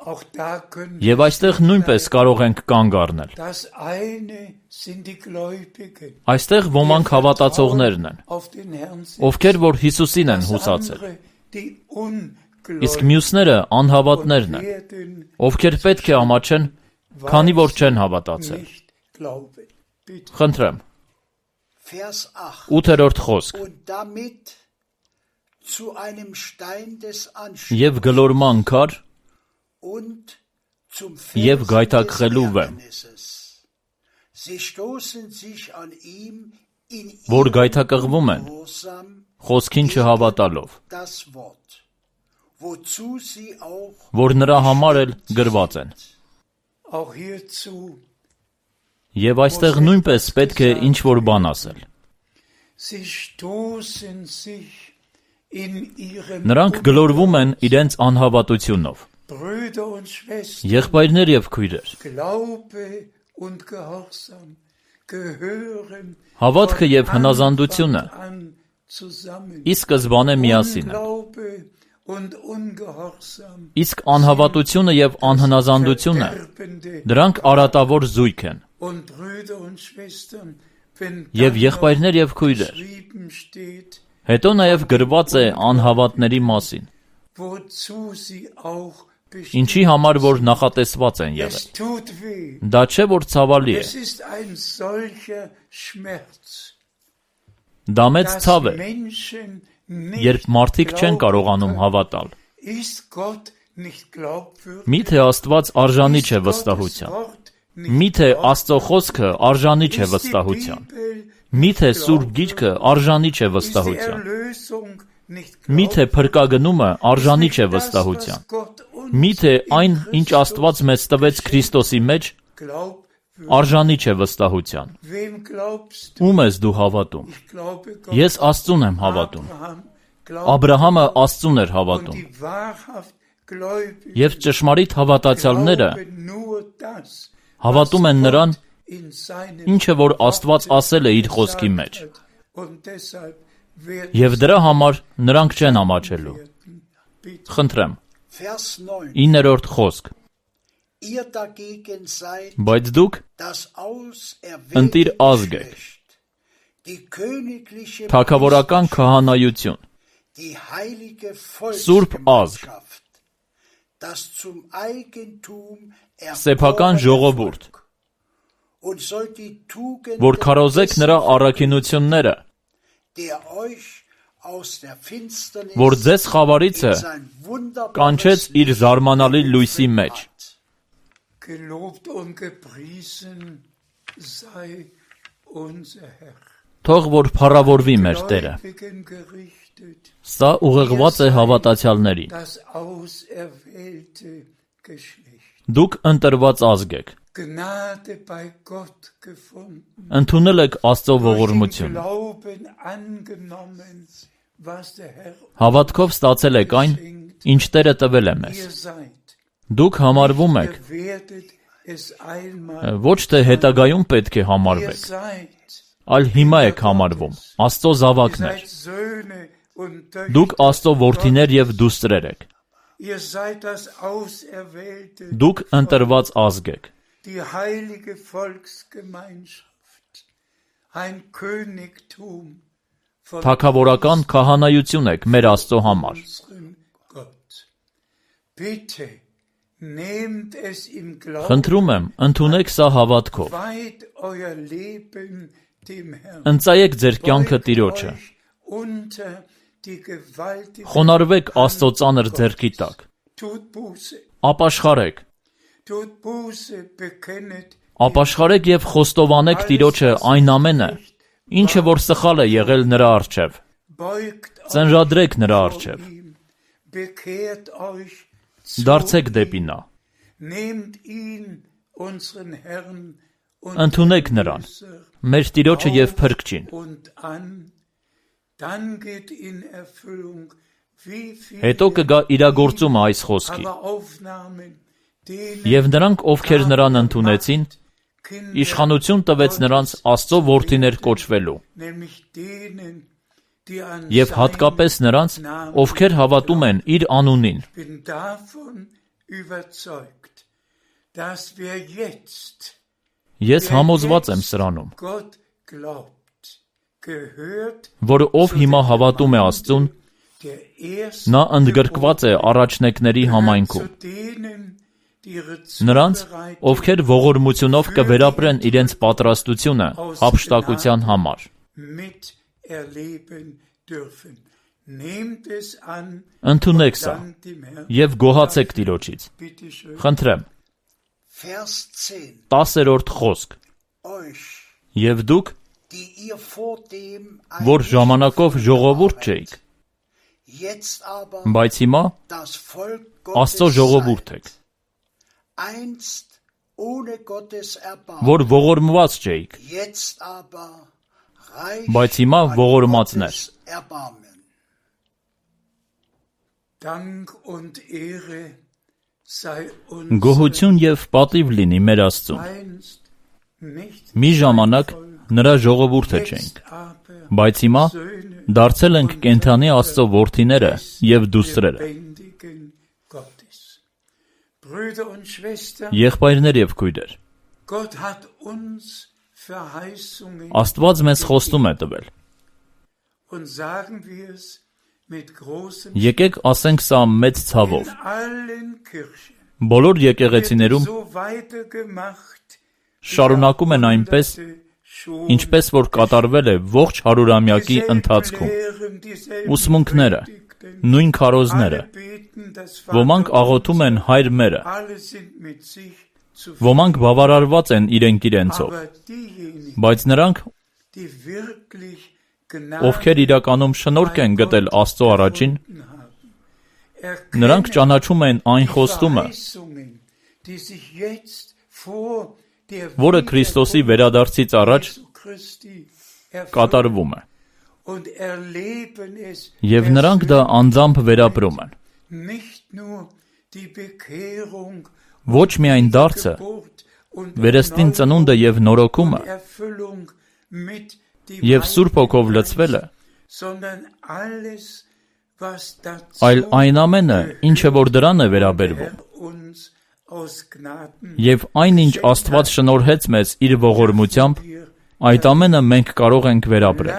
Auch da können եւ այստեղ նույնպես կարող ենք կանգ առնել, das eine sind die Gläubigen, այստեղ ոմանք հավատացողներն են, auf den Herrn sind, ովքեր որ Հիսուսին են das հուսացել, andere die իսկ Ungläubigen մյուսները անհավատներն են, werden ովքեր պետք է ամաչեն, քանի որ չեն հավատացել, nicht glauben. Bitte. խնդրեմ, Vers 8. 8-րդ խոսք. Und damit zu einem Stein des Եվ գլորման քար und zum Եվ Felsen գայթակղելու des վեմ, Ärgernisses. Sie stoßen sich an ihm in որ ihrem գայթակղվում են Ungehorsam խոսքին չհավատալով, das Wort, wozu sie auch որ նրա համար էլ գրված են։ Auch hierzu, Եվ այստեղ նույնպես պետք է ինչ-որ բան ասել։ sie stoßen sich in ihrem Նրանք գլորվում են իրենց անհավատությունով։ Brüder und Schwestern, Եղբայրներ եւ քույրեր, Glaube und Gehorsam gehören հավատքը եւ von հնազանդությունը Anfang an zusammen. ի սկզբանե միասին են։ Unglaube und Ungehorsam Իսկ անհավատությունը եւ անհնազանդությունը verderbende դրանք արատավոր զույգ են։ und Brüder und Schwestern, wenn Եվ dann եղբայրներ եւ քույրեր, geschrieben steht, հետո նաեւ գրված է անհավատների մասին, wozu sie auch ինչի համար որ նախատեսված են եղել։ Es tut weh. Դա չէ որ ցավալի է, Es ist ein solcher Schmerz, դա մեծ dass ցավ է, Menschen երբ nicht մարդիկ չեն glauben կարողանում können. հավատալ։ Ist Gott nicht glaubwürdig? Միթե Աստված արժանի Ist չէ Gottes վստահության։ Wort nicht Միթե glaubwürdig? Աստծո խոսքը արժանի չէ Ist die վստահության։ Bibel Միթե nicht Սուրբ Գիրքը արժանի չէ Ist die վստահության։ Erlösung nicht Միթե glaubwürdig? փրկագնումը արժանի Ist չէ nicht das, վստահության։ was Gott uns Միթե in այն, ինչ Christus Աստված մեզ տվեց Քրիստոսի մեջ, glaubwürdig? արժանի չէ վստահության։ Wem glaubst du? Ում ես դու հավատում։ Ich glaube Gott. Ես Աստծուն եմ հավատում։ Abraham glaubte Աբրահամը Աստծուն էր und հավատում։ die wahrhaft Gläubigen Եվ ճշմարիտ հավատացյալները glauben nur das, հավատում են նրան, in seinem ինչը որ Աստված ասել է իր խոսքի մեջ։ gesagt hat. Und deshalb werden Եվ դրա համար նրանք չեն ամաչելու։ bitte Խնդրեմ, Vers 9. 9-րդ խոսք։ Ihr dagegen seid Բայց դուք das Ընտիր auserwählte ազգ եք, Geschlecht, die königliche թագավորական քահանայություն, die heilige Սուրբ ազգ, Volksgemeinschaft, das zum Eigentum սեփական ժողովուրդ, und sollt die Tugend որ քարոզեք նրա առաքինությունները, der euch aus der Finsternis որ ձեզ խավարից է in sein wunderbares կանչեց իր զարմանալի լույսի մեջ։ gelobt und gepriesen sei unser Herr. Թող որ փառավորվի մեր Տերը։ Gläubigen gerichtet, Սա ուղղված է հավատացյալներին։ das auserwählte Geschlecht. Դուք ընտրված ազգ եք։ Gnade bei Gott gefunden. Ընդունել եք Աստծո Durch den ողորմությունը։ Glauben angenommen, was der Herr Հավատքով ստացել եք այն, ինչ Տերը տվել է մեզ։ ihr seid. Դուք համարվում եք, Ihr werdet es einmal. ոչ թե հետագայում պետք է Ihr համարվեք, seid. այլ հիմա եք համարվում, Աստծո Ihr զավակներ։ seid Söhne und Դուք Töchter. Աստծո որդիներ եւ դուստրեր եք։ Ihr seid das auserwählte, Դուք ընտրված ազգ եք։ die heilige Volksgemeinschaft, ein Königtum von Թագավորական քահանայություն եք մեր Աստծո համար։ unserem Gott. Bitte nehmt es im Glauben, Խնդրում եմ, ընդունեք սա հավատքով։ weiht euer Leben dem Herrn. Ընծայեք ձեր կյանքը Beugt Տիրոջը։ euch unter die gewaltige Խոնարհվեք Աստծո ծանր ձեռքի տակ։ Tut Buße, Ապաշխարեք, tut Buße, bekennet ապաշխարեք եւ խոստովանեք Տիրոջը այն ամենը, ինչը որ սխալ է եղել նրա առջև։ beugt euch Ծնրադրեք նրա vor առջև։ ihm, bekehrt euch zu Դարձեք ihm, դեպի նա։ nehmt ihn, unseren Herrn und Ընդունեք նրան, Erlöser, մեր Տիրոջը եւ Փրկչին։ und an, dann geht in Erfüllung, wie Հետո viele կգա իրագործումը այս խոսքի։ aber aufnahmen, denen Եվ նրանք, ովքեր նրան ընդունեցին, Kinder, իշխանություն տվեց նրանց Աստծո որդիներ կոչվելու, nämlich denen, die an եւ sein հատկապես նրանց, ովքեր հավատում են իր անունին։ bin davon überzeugt, dass wer jetzt Ես համոզված եմ սրանում, Gott glaubt, gehört որ ով հիմա հավատում է Աստծուն, der erste նա ընդգրկված է առաջնեկների համայնքում։ zu denen, die ihre Նրանց, Zubereitung ովքեր ողորմությունով կվերապրեն իրենց պատրաստությունը հափշտակության համար։ miterleben dürfen. Nehmt es an, Ընդունեք սա dankt dem Herrn. եւ գոհացեք Տիրոջից։ Bitte schön. Խնդրեմ, Vers 10. 10-րդ խոսք. Euch, Եվ դուք, die ihr vor dem որ ժամանակով ժողովուրդ չէիք, jetzt aber բայց հիմա das Volk Աստծո Gottes ժողովուրդ seid, եք, einst ohne Gottes Erbarmen, որ ողորմված չէիք, jetzt aber reich բայց հիմա an ողորմածներ։ Gottes Erbarmen. Dank und Ehre sei uns Գոհություն եւ պատիվ լինի մեր Աստծուն։ einst nicht Մի ժամանակ նրա ժողովուրդը չէինք, jetzt aber բայց հիմա Söhne դարձել ենք կենթանի Աստծո որդիները եւ դուստրերը, lebendigen Gottes. Brüder und Schwestern, եղբայրներ եւ քույրեր։ Gott hat uns Verheißungen Աստված մեզ խոստում է տվել։ und sagen wir es mit großem Եկեք ասենք սա մեծ ցավով։ in allen Kirchen. Բոլոր եկեղեցիներում So weitergemacht, շարունակում են այնպես, schon ինչպես որ կատարվել է ողջ հարյուրամյակի ընթացքում։ Ուսմունքները, նույն քարոզները, ոմանք աղոթում են Հայր մերը, ոմանք բավարարված են իրենք իրենցով, բայց նրանք, ովքեր իրականում շնորհք են գտել Աստծո առաջին, նրանք ճանաչում են այն խոստումը, որը Քրիստոսի վերադարձից առաջ կատարվում է, եւ նրանք դա անձամբ վերապրում են։ Ոչ միայն դարձը, վերստին ծնունդը եւ նորոգումը եւ Սուրբ Հոգով լցվելը, այլ այն ամենը, ինչը որ դրան է վերաբերվում, եւ այն ինչ Աստված շնորհեց մեզ իր ողորմությամբ, այդ ամենը մենք կարող ենք վերապրել։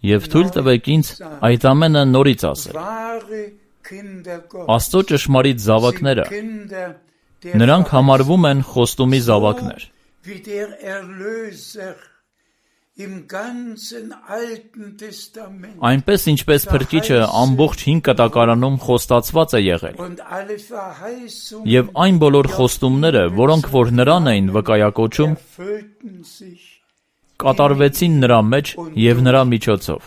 Եվ թույլ տվեք ինձ այդ ամենը նորից ասել։ Աստծո ճշմարիտ զավակները, նրանք համարվում են խոստումի զավակներ։ Այնպես ինչպես Փրկիչը ամբողջ Հին Կտակարանում խոստացված է եղել, եւ այն բոլոր խոստումները, որոնք որ նրան էին վկայակոչում, կատարվեցին նրա մեջ եւ նրա միջոցով։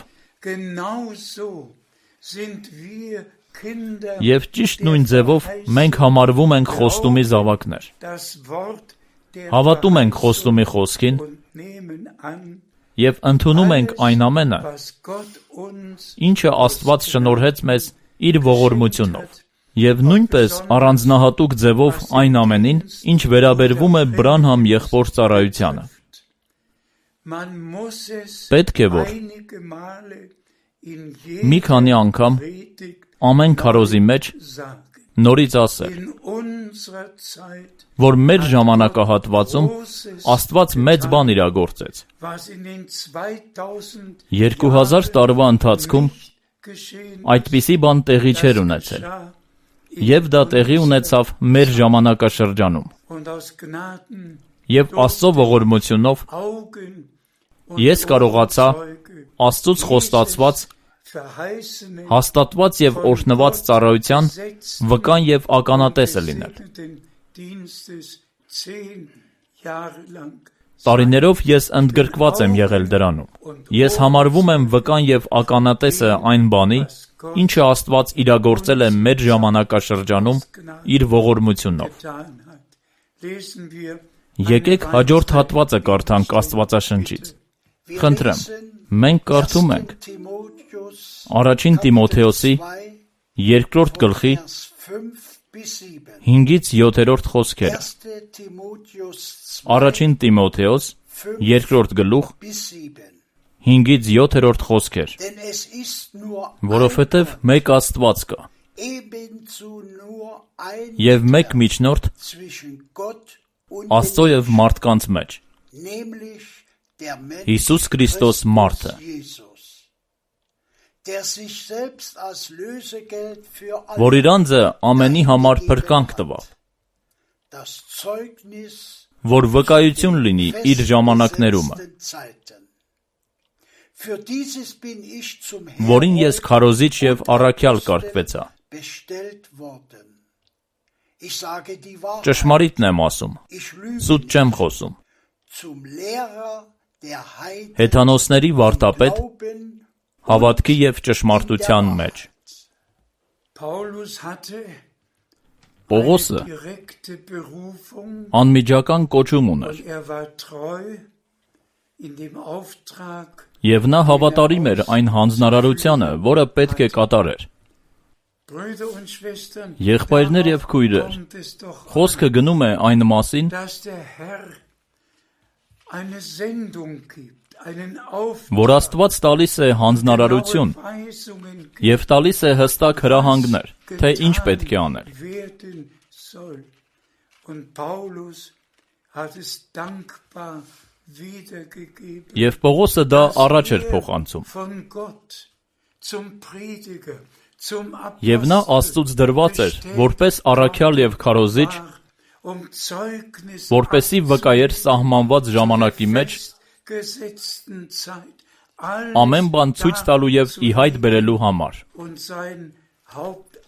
Եվ ճիշտ նույն ձևով մենք համարվում ենք խոստումի զավակներ։ Հավատում ենք խոստումի խոսքին եւ ընդունում ենք այն ամենը, ինչը Աստված շնորհեց մեզ իր ողորմությունով, եւ նույնպես առանձնահատուկ ձևով այն ամենին, ինչ վերաբերվում է Բրանհամ եղբոր ծառայությանը։ Պետք է որ մի քանի անգամ ամեն քարոզի մեջ նորից ասել, որ մեր ժամանակահատվածում Աստված մեծ բան իրագործեց։ 2000 տարվա ընթացքում այդպիսի բան տեղի չէր ունեցել, եւ դա տեղի ունեցավ մեր ժամանակաշրջանում։ Եվ Աստծո ողորմությունով ես կարողացա Աստծուց խոստացված, հաստատված եւ օրհնված ծառայության վկան եւ ականատեսը լինել։ Տարիներով ես ընդգրկված եմ եղել դրանում։ Ես համարվում եմ վկան եւ ականատեսը այն բանի, ինչը Աստված իրագործել է մեր ժամանակաշրջանում իր ողորմությունով։ Եկեք հաջորդ հատվածը կարդանք Աստվածաշնչից։ Խնդրեմ, մենք կարդում ենք Առաջին Տիմոթեոսի 2-րդ գլխի 5-ից 7-րդ խոսքերը։ Առաջին Տիմոթեոս 2-րդ գլուխ 5-ից 7-րդ խոսքեր։ Որովհետև մեկ Աստված կա, եւ մեկ միջնորդ Աստծո եւ մարդկանց մեջ, Հիսուս Քրիստոս մարդը, որ իր անձը ամենի համար փրկանք տվավ, որ վկայություն լինի իր ժամանակներումը, որին ես քարոզիչ և առաքյալ կարգվեցա։ Ճշմարիտն եմ ասում, սուտ չեմ խոսում։ Հեթանոսների վարդապետ, հավատքի և ճշմարտության մեջ։ Պողոսը անմիջական կոչում ուներ, և նա հավատարիմ էր այն հանձնարարությանը, որը պետք է կատարեր։ Եղբայրներ և քույրեր, խոսքը գնում է այն մասին, որ Աստված տալիս է հանձնարարություն և տալիս է հստակ հրահանգներ, թե ինչ պետք է անել։ Եվ Պողոսը դա առաջ էր փոխանցում։ Եվ նա Աստծուց դրված էր, որպես առաքյալ և քարոզիչ, որպեսզի վկայեր սահմանված ժամանակի մեջ ամեն բան ցույց տալու և ի հայտ բերելու համար։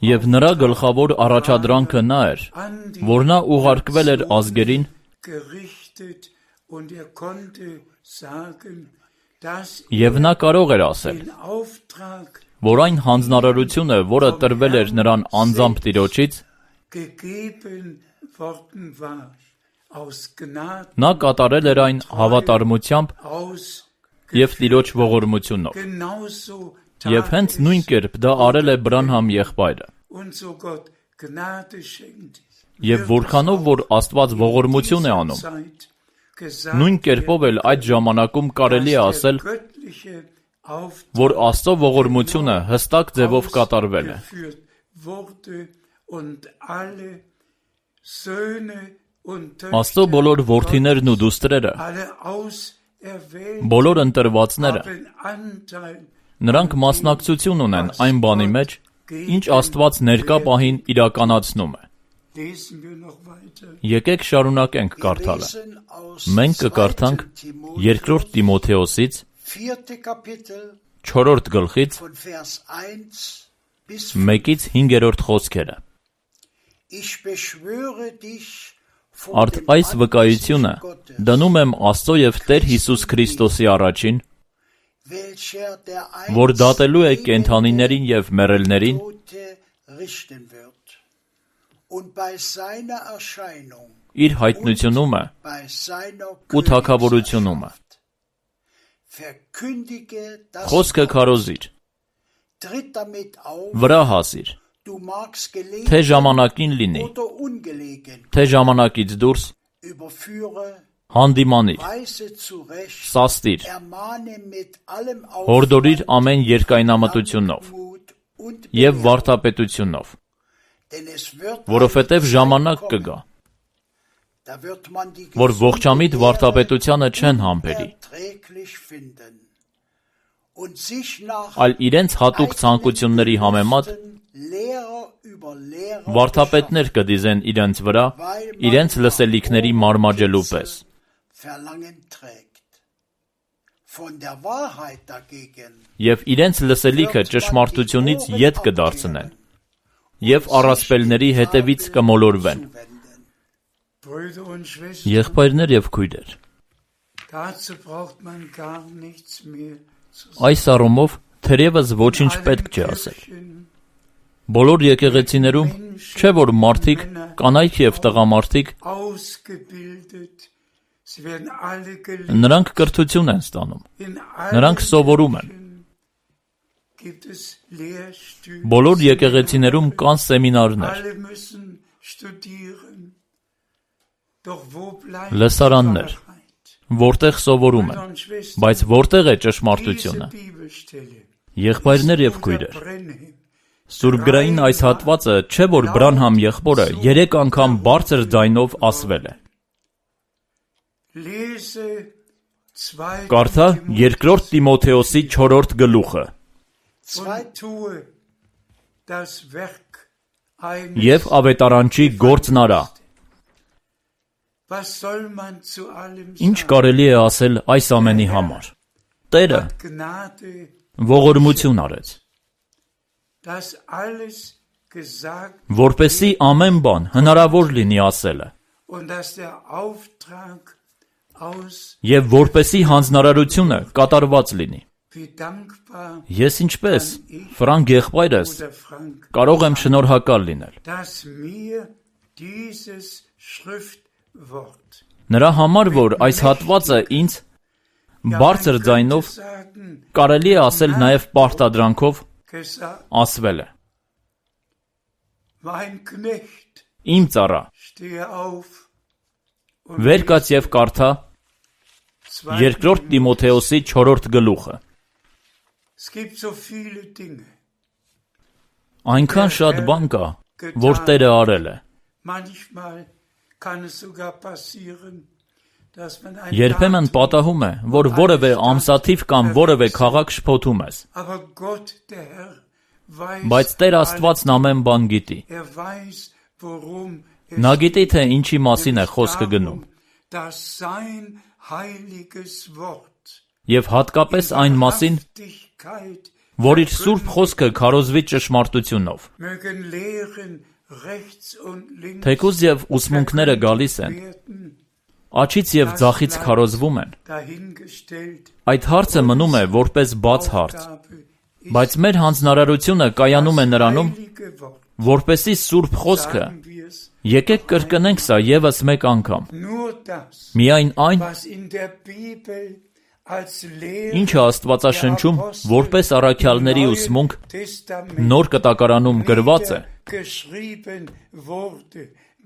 Եվ նրա գլխավոր առաջադրանքը նա էր, որ նա ուղարկվել էր ազգերին, և նա կարող էր ասել, որ այն հանձնարարությունը, որը տրվել էր նրան անձամբ Տիրոջից, նա կատարել էր այն հավատարմությամբ և Տիրոջ ողորմությունով։ Եվ հենց նույն կերպ դա արել է Բրանհամ եղբայրը։ Եվ որքանով որ Աստված ողորմություն է անում, նույն կերպով էլ այդ ժամանակում կարելի է ասել, որ Աստծո ողորմությունը հստակ ձևով կատարվել է։ Աստծո բոլոր որդիներն ու դուստրերը, բոլոր ընտրվածները, նրանք մասնակցություն ունեն այն բանի մեջ, ինչ Աստված ներկա պահին իրականացնում է։ Եկեք շարունակենք կարդալը։ Մենք կկարդանք 2 Տիմոթեոսից 4 գլխից 1-ից 5 խոսքերը։ Արդ այս վկայությունը դնում եմ Աստծո և Տեր Հիսուս Քրիստոսի առաջին, որ դատելու է կենդանիներին և մեռելներին իր հայտնությունումը ու թագավորությունումը։ Խոսքը քարոզիր, վրա հասիր, թե ժամանակին լինի, թե ժամանակից դուրս, հանդիմանիր, սաստիր, հորդորիր ամեն երկայնամտությունով և վարդապետությունով, որովհետև ժամանակ կգա, որ ողջամիտ վարդապետությանը չեն համբերի, այլ իրենց հատուկ ցանկությունների համեմատ վարդապետներ կդիզեն իրենց վրա, իրենց լսելիքների մարմաջելու պես։ Եվ իրենց լսելիքը ճշմարտությունից ետ կդարձնեն, և առասպելների հետևից կմոլորվեն։ Եղբայրներ և քույրեր, այս առումով թերևս ոչինչ պետք չէ ասել։ Բոլոր եկեղեցիներում չէ որ մարդիկ, կանայք և տղամարդիկ, նրանք կրթություն են ստանում, նրանք սովորում են։ Բոլոր եկեղեցիներում կան սեմինարներ, լսարաններ, որտեղ սովորում են, բայց որտեղ է ճշմարտությունը։ Եղբայրներ և քույրեր, Սուրբգրային այս հատվածը չէ որ Բրանհամ եղբորը 3 անգամ բարձր ձայնով ասվել է։ Կարդա 2 Տիմոթեոսի 4 գլուխը։ Եվ ավետարանչի գործն արա։ Was soll man zu allem Ինչ sagen? կարելի է ասել այս ամենի համար։ Տերը Hat Gnade, ողորմություն արեց, dass alles gesagt որպեսզի ամեն բան հնարավոր լինի ասելը, und dass der Auftrag aus, եւ որպեսզի հանձնարարությունը կատարված լինի։ wie dankbar Ես ինչպես Ֆրանկ եղբայրս oder Frank, կարող եմ շնորհակալ լինել։ dass mir dieses Schriftwort Նրա համար, որ այս հատվածը ինձ բարձր ձայնով sagen, կարելի է ասել նաև պարտադրանքով gesagt, ասվել է։ mein Knecht, Իմ ծառա, stehe auf und վեր կաց եւ կարդա 2. 2 Տիմոթեոսի 4-րդ գլուխը։ Es gibt so viele Dinge. Այնքան շատ բան կա, որ Տերը արել է։ Manchmal kann es sogar passieren, dass man ein Երբեմն Datum, պատահում է, որ որևէ ամսաթիվ կամ որևէ քաղաք շփոթում ես, aber Gott, der Herr, weiß, բայց Տեր Աստվածն ամեն բան գիտի։ weiß, worum es Նա գիտի, թե ինչի մասին է խոսքը գնում, dass sein heiliges Wort, եւ հատկապես այն մասին, Wahrhaftigkeit, որ իր սուրբ խոսքը քարոզվի ճշմարտությունով։ mögen Lehren rechts und links Թեկուզ եւ ուսմունքները գալիս են, werden, աչից եւ ձախից քարոզվում են։ dahingestellt, Այդ հարցը մնում է որպես բաց հարց, Aufgabe, բայց մեր հանձնարարությունը կայանում է նրանում, heilige Wort, որպեսզի սուրբ խոսքը sagen wir es, եկեք կրկնենք սա եւս մեկ անգամ։ nur das, Միայն այն, was in der Bibel als Lehre ինչը Աստվածաշնչում որպես առաքյալների ուսմունք Testament նոր կտակարանում գրված է, geschrieben wurde,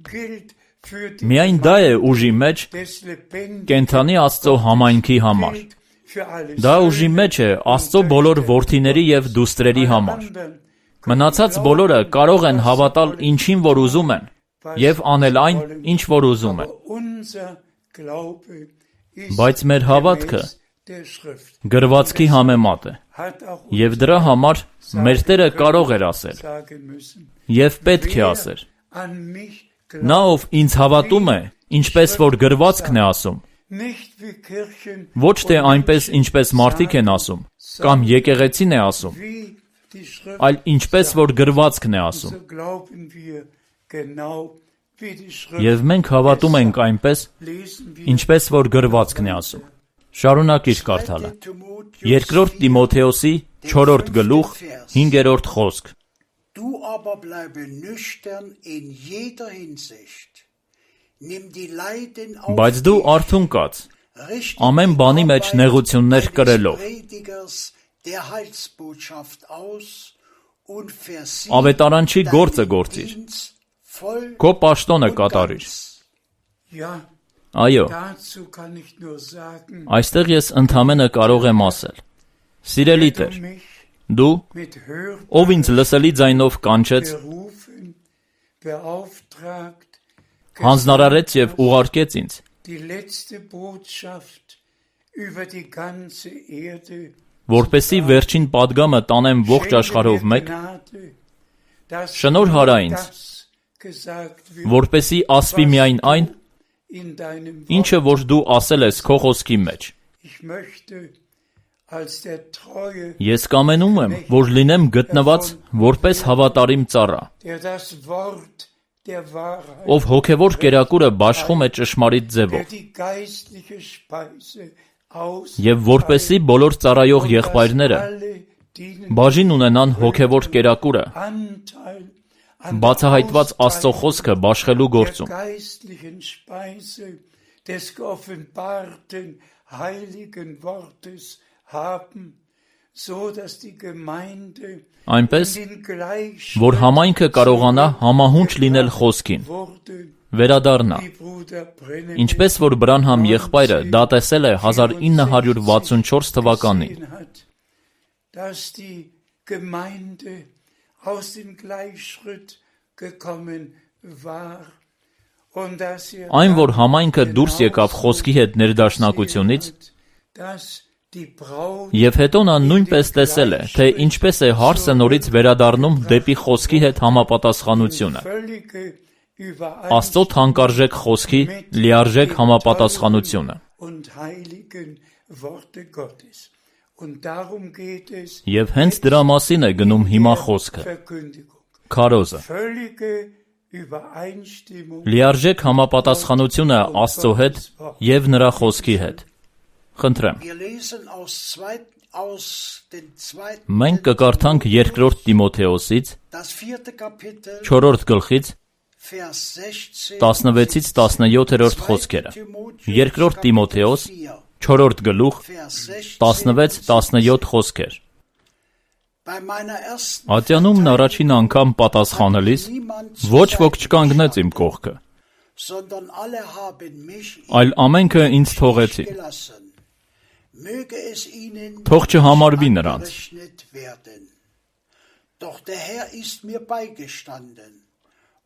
gilt für die միայն դա է ուժի մեջ des lebendigen կենթանի Աստծո համայնքի համար։ gilt für alle Դա ուժի մեջ է Աստծո բոլոր որդիների եւ դուստրերի համար։ anderen. Մնացած բոլորը կարող են հավատալ ինչին որ ուզում են եւ անել այն, ինչ որ ուզում են։ Aber unser Glaube ist Բայց մեր հավատքը gemäß der Schrift. գրվածքի համեմատ է, Hat auch եւ դրա համար մեր Տերը կարող էր ասել sagen müssen. եւ պետք է ասեր. An mich Նա ով ինձ հավատում է, ինչպես որ գրվածքն է ասում, nicht wie Kirchen ոչ թե այնպես ինչպես մարդիկ են ասում, կամ եկեղեցին է ասում, wie die Schrift, այլ ինչպես որ գրվածքն է ասում։ so glauben wir genau wie die Schrift. Եվ մենք հավատում ենք այնպես, Lesen wir ինչպես որ գրվածքն է ասում։ Շարունակիր կարդալը։ 2 Տիմոթեոսի 4-րդ գլուխ 5-րդ խոսք։ Du aber bleibe nüchtern in jeder Hinsicht. Nimm die Leiden auf Բայց դու արթուն կաց, ամեն բանի մեջ նեղություններ կրելով, der Heilsbotschaft aus und versieh ավետարանչի գործը գործիր, քո պաշտոնը կատարիր։ ja, Այո, dazu kann ich nur sagen, այստեղ ես ընդամենը կարող եմ ասել. Սիրելի Տեր, du mich դու, mit Hör ով ինձ լսելի ձայնով կանչեց, berufen, beauftragt, հանձնարարեց եւ ուղարկեց ինձ, die letzte Botschaft über die ganze Erde, որպեսի վերջին պատգամը տանեմ ողջ աշխարհով մեկ, շնորհ հարա ինձ, որպեսի ասվի միայն այն, ինչը որ դու ասել ես քո խոսքի մեջ։ Ես կամենում եմ, որ լինեմ գտնված որպես հավատարիմ ծառա, ով հոգևոր կերակուրը բաշխում է ճշմարիտ ձևով, եւ որպեսի բոլոր ծառայող եղբայրները բաժին ունենան հոգևոր կերակուրը, բացահայտված Աստծո խոսքը բաշխելու գործում։ Այնպես, որ համայնքը կարողանա համահունչ լինել խոսքին, վերադառնա, ինչպես որ Բրանհամ եղբայրը դա տեսել է 1964 թվականին։ Այն, որ համայնքը դուրս եկավ խոսքի հետ ներդաշնակությունից, եւ հետո նա նույնպես տեսել է, թե ինչպես է հարսը նորից վերադառնում դեպի խոսքի հետ համապատասխանությունը։ Աստծո թանկարժեք խոսքի լիարժեք համապատասխանությունը։ Եվ հենց դրա մասին է գնում հիմա խոսքը։ Քարոզը։ Լիարժեք համապատասխանությունը Աստծո հետ եւ նրա խոսքի հետ։ Խնդրեմ։ Մենք կկարդանք երկրորդ Տիմոթեոսից 4-րդ գլխից 16-ից 17-րդ խոսքերը։ Երկրորդ Տիմոթեոս 4-րդ գլուխ 16-17 խոսքեր։ Ատյանումն առաջին անգամ պատասխանելիս ոչ ոք չկանգնեց իմ կողքը, այլ ամենքը ինձ թողեցին։ Թող չհամարվի նրանց։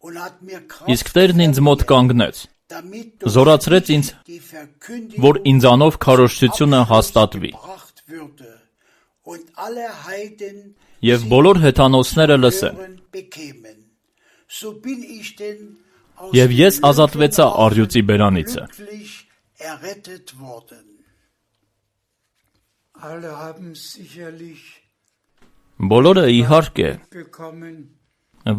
Իսկ Տերն ինձ մոտ կանգնեց, զորացրեց ինձ, որ ինձանով քարոզչությունը հաստատվի։ Եվ բոլոր հեթանոսները լսեն։ Եվ ես ազատվեցա առյուծի բերանիցը։ Բոլորը իհարկե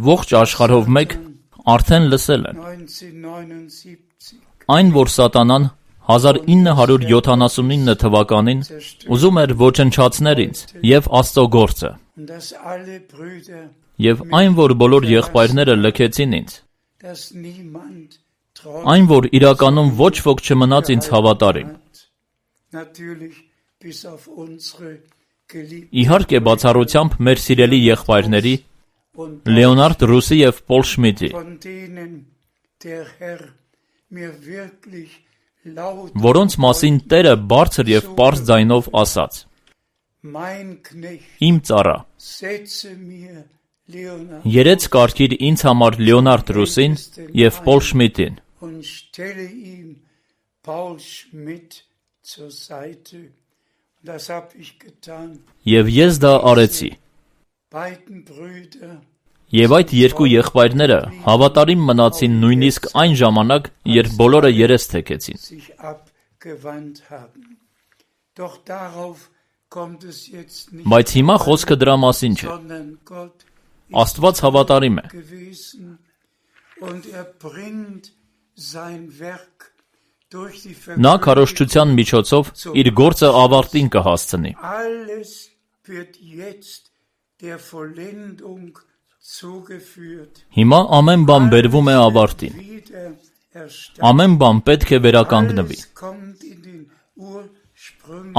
ողջ աշխարհով մեկ արդեն լսել են։ Այն, որ Սատանան 1979 թվականին ուզում էր ոչնչացնել ինձ և Աստծո գործը, և այն, որ բոլոր եղբայրները լքեցին ինձ, այն, որ իրականում ոչ ոք չմնաց ինձ հավատարիմ, իհարկե բացառությամբ մեր սիրելի եղբայրների Լեոնարդ Ռուսի և Պոլ Շմիդտի, որոնց մասին Տերը բարձր և պարզ ձայնով ասաց. Իմ ծառա, երեց կարգիր ինձ համար Լեոնարդ Ռուսին և Պոլ Շմիդտին, և ես դա արեցի։ Եվ այդ երկու եղբայրները հավատարիմ մնացին նույնիսկ այն ժամանակ, երբ բոլորը երես թեքեցին։ Բայց հիմա խոսքը դրա մասին չէ։ Աստված հավատարիմ է։ Նա քարոզչության միջոցով իր գործը ավարտին կհասցնի։ Հիմա ամեն բան բերվում է ավարտին։ Ամեն բան պետք է վերականգնվի։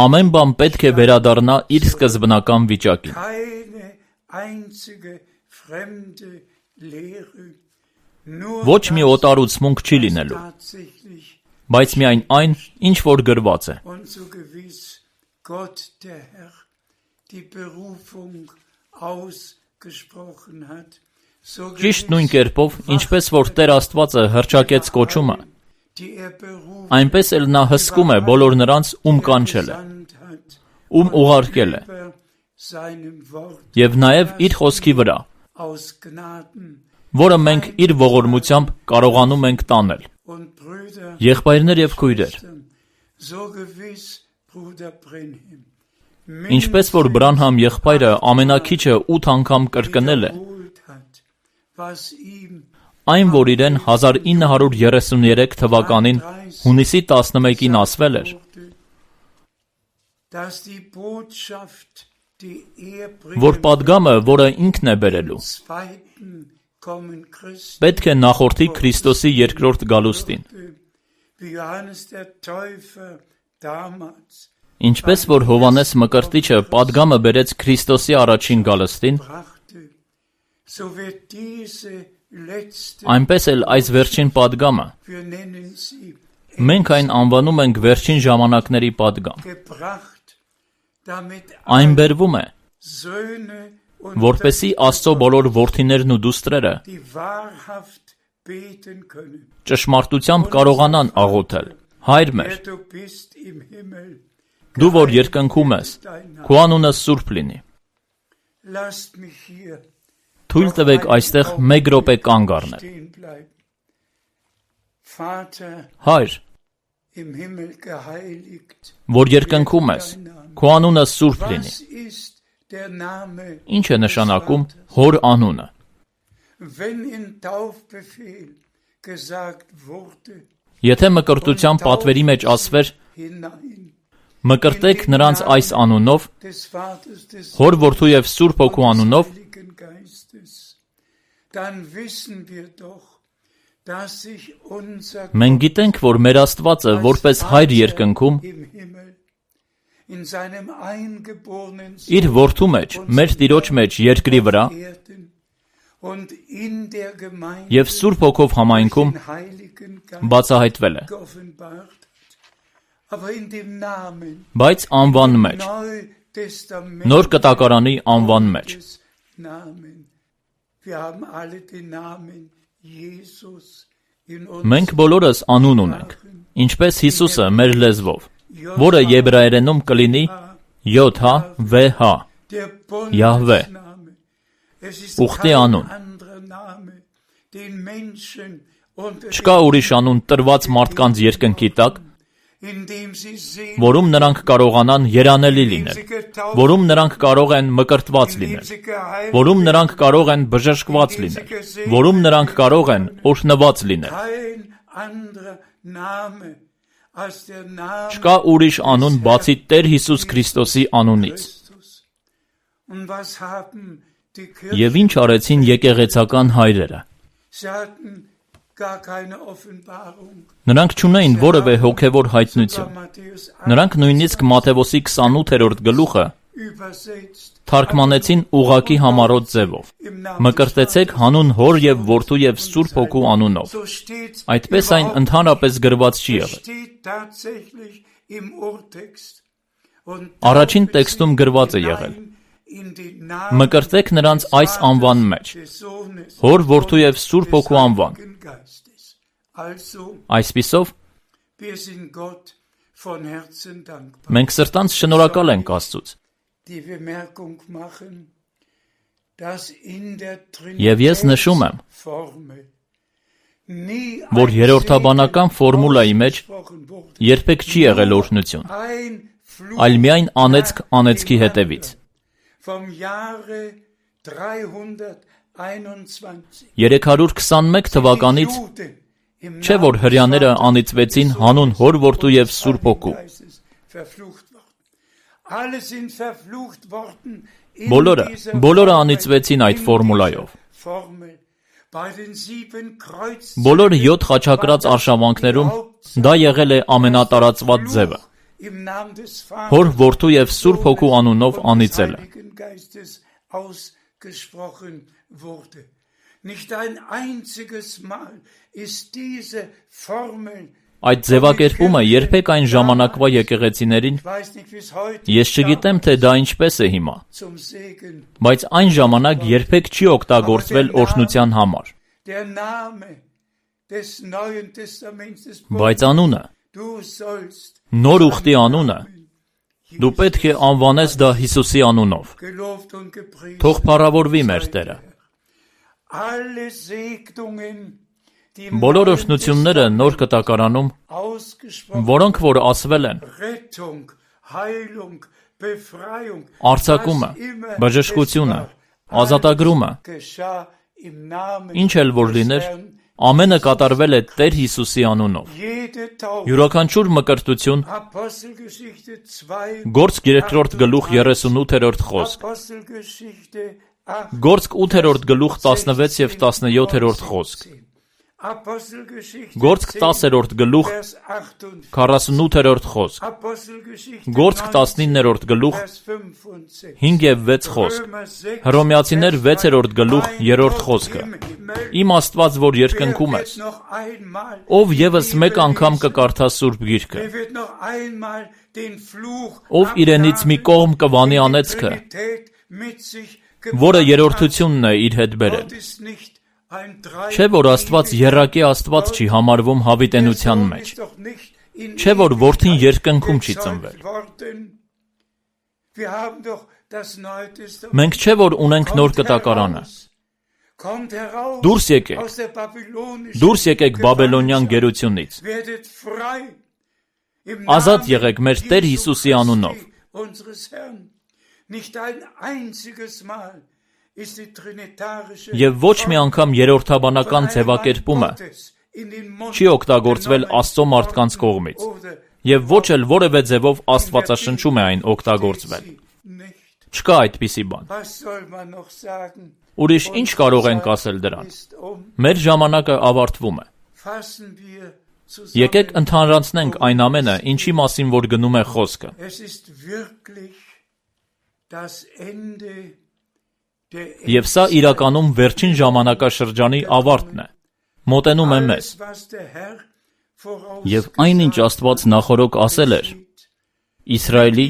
Ամեն բան պետք է վերադառնա իր սկզբնական վիճակին։ Ոչ մի օտարուցմունք չի լինելու, բայց միայն այն, ինչ որ գրված է։ Ճիշտ նույն կերպով, ինչպես որ Տեր Աստվածը հռչակեց կոչումը, այնպես էլ նա հսկում է բոլոր նրանց, ում կանչել է, ում ուղարկել է, և նաև իր խոսքի վրա, որը մենք իր ողորմությամբ կարողանում ենք տանել։ Եղբայրներ և քույրեր, ինչպես որ Բրանհամ եղբայրը ամենաքիչը 8 անգամ կրկնել է, այն, որ իրեն 1933 թվականին հունիսի 11-ին ասվել էր, որ պատգամը, որը ինքն է բերելու, պետք է նախորդի Քրիստոսի երկրորդ գալուստին։ Ինչպես որ Հովհաննես Մկրտիչը պատգամը բերեց Քրիստոսի առաջին գալստին, այնպես էլ այս վերջին պատգամը, մենք այն անվանում ենք վերջին ժամանակների պատգամ։ Այն բերվում է, որպեսզի Աստծո բոլոր որդիներն ու դուստրերը ճշմարտությամբ կարողանան աղոթել. Հայր մեր, դու որ երկնքում ես, քո անունը սուրբ լինի։ Թույլ տվեք այստեղ մեկ րոպե կանգ առնել։ Հայր, որ երկնքում ես, քո անունը սուրբ լինի։ Ինչ է նշանակում հոր անունը։ Եթե մկրտության պատվերի մեջ ասվեր, մկրտեք նրանց այս անունով, հոր որդու և սուրբ հոգու անունով, մենք գիտենք, որ մեր Աստվածը որպես հայր երկնքում իր որդու մեջ, մեր Տիրոջ մեջ երկրի վրա և սուրբ հոգով համայնքում բացահայտվել է, բայց անվան մեջ, նոր կտակարանի անվան մեջ։ Մենք բոլորս անուն ունենք, ինչպես Հիսուսը մեր լեզվով, որը եբրայերենում կլինի ՅՀՎՀ, Յահվե, ուխտի անուն։ Չկա ուրիշ անուն տրված մարդկանց երկնքի տակ, որում նրանք կարողանան երանելի լինել, որում նրանք կարող են մկրտված լինել, որում նրանք կարող են բժշկված լինել, որում նրանք կարող են օրհնված լինել։ Չկա ուրիշ անուն բացի Տեր Հիսուս Քրիստոսի անունից։ Եվ ինչ արեցին եկեղեցական հայրերը։ Նրանք չունեին որևէ հոգևոր հայտնություն։ Նրանք նույնիսկ Մատթեոսի 28-րդ գլուխը թարգմանեցին ուղղակի համառոտ ձևով. մկրտեցեք հանուն հոր և որդու և սուրբ հոգու անունով։ Այդպես այն ընդհանրապես գրված չի եղել։ Առաջին տեքստում գրված է եղել. մկրտեք նրանց այս անվան մեջ, հոր, որդու և սուրբ հոգու անվան։ Այսպիսով, մենք սրտանց շնորհակալ ենք Աստծուց։ Եվ ես նշում եմ, որ երրորդաբանական ֆորմուլայի մեջ երբեք չի եղել օրհնություն, այլ միայն անեծք անեծքի հետևից։ 321 թվականից չէ, որ հրեաները անիծվեցին հանուն հոր, որդու և սուրբ հոգու։ Բոլորը անիծվեցին այդ ֆորմուլայով։ Բոլոր 7 խաչակրած արշավանքներում դա եղել է ամենատարածված ձևը։ Հոր, որդու և սուրբ հոգու անունով անիծելը։ Այդ ձևակերպումը երբեք այն ժամանակվա եկեղեցիներին, ես չգիտեմ, թե դա ինչպես է հիմա, բայց այն ժամանակ երբեք չի օգտագործվել օրհնության համար։ Բայց անունը, նոր ուխտի անունը, դու պետք է անվանես դա Հիսուսի անունով։ Թող փառավորվի մեր Տերը։ Բոլոր օրհնությունները նոր կտակարանում, որոնք որ ասվել են, արձակումը, բժշկությունը, ազատագրումը, ինչ էլ որ լիներ, ամենը կատարվել է Տեր Հիսուսի անունով։ Յուրաքանչյուր մկրտություն, Գործք 2-րդ գլուխ 38-րդ խոսք, Գործք 8-րդ գլուխ 16 և 17-րդ խոսք, Գործք 10-րդ գլուխ 48-րդ խոսք, Գործք 19-րդ գլուխ 5 և 6 խոսք, Հռոմեացիներ 6-րդ գլուխ 3-րդ խոսքը։ Իմ Աստված, որ երկնքում ես, ով ևս մեկ անգամ կկարդա Սուրբ Գիրքը, ով իրենից մի կողմ կվանի անեծքը, որը երրորդությունն է իր հետ բերել։ Չէ, որ Աստված եռակի Աստված չի համարվում հավիտենության մեջ։ Չէ, որ որդին երկնքում չի ծնվել։ Մենք չէ, որ ունենք նոր կտակարանը։ Kommt heraus Դուրս եկեք, aus der babylonischen դուրս եկեք Բաբելոնյան գերությունից, werdet frei im ազատ Namen եղեք մեր Տեր Jesu Հիսուսի անունով։ Christi, unseres Herrn. Nicht ein einziges Mal ist die trinitarische Եվ ոչ մի անգամ երրորդաբանական ձևակերպումը չի օգտագործվել Աստծո մարդկանց կողմից, եւ ոչ էլ որևէ ձևով Աստվածաշնչում է այն օգտագործվել։ Չկա այդպիսի բան։ Ուրիշ ինչ կարող ենք ասել դրան։ Մեր ժամանակը ավարտվում է։ Եկեք ընդհանրացնենք այն ամենը, ինչի մասին որ գնում է խոսքը։ Եվ սա իրականում վերջին ժամանակաշրջանի ավարտն է։ Մոտենում է մեզ։ Եվ այնինչ Աստված նախորոք ասել էր Իսրայելի,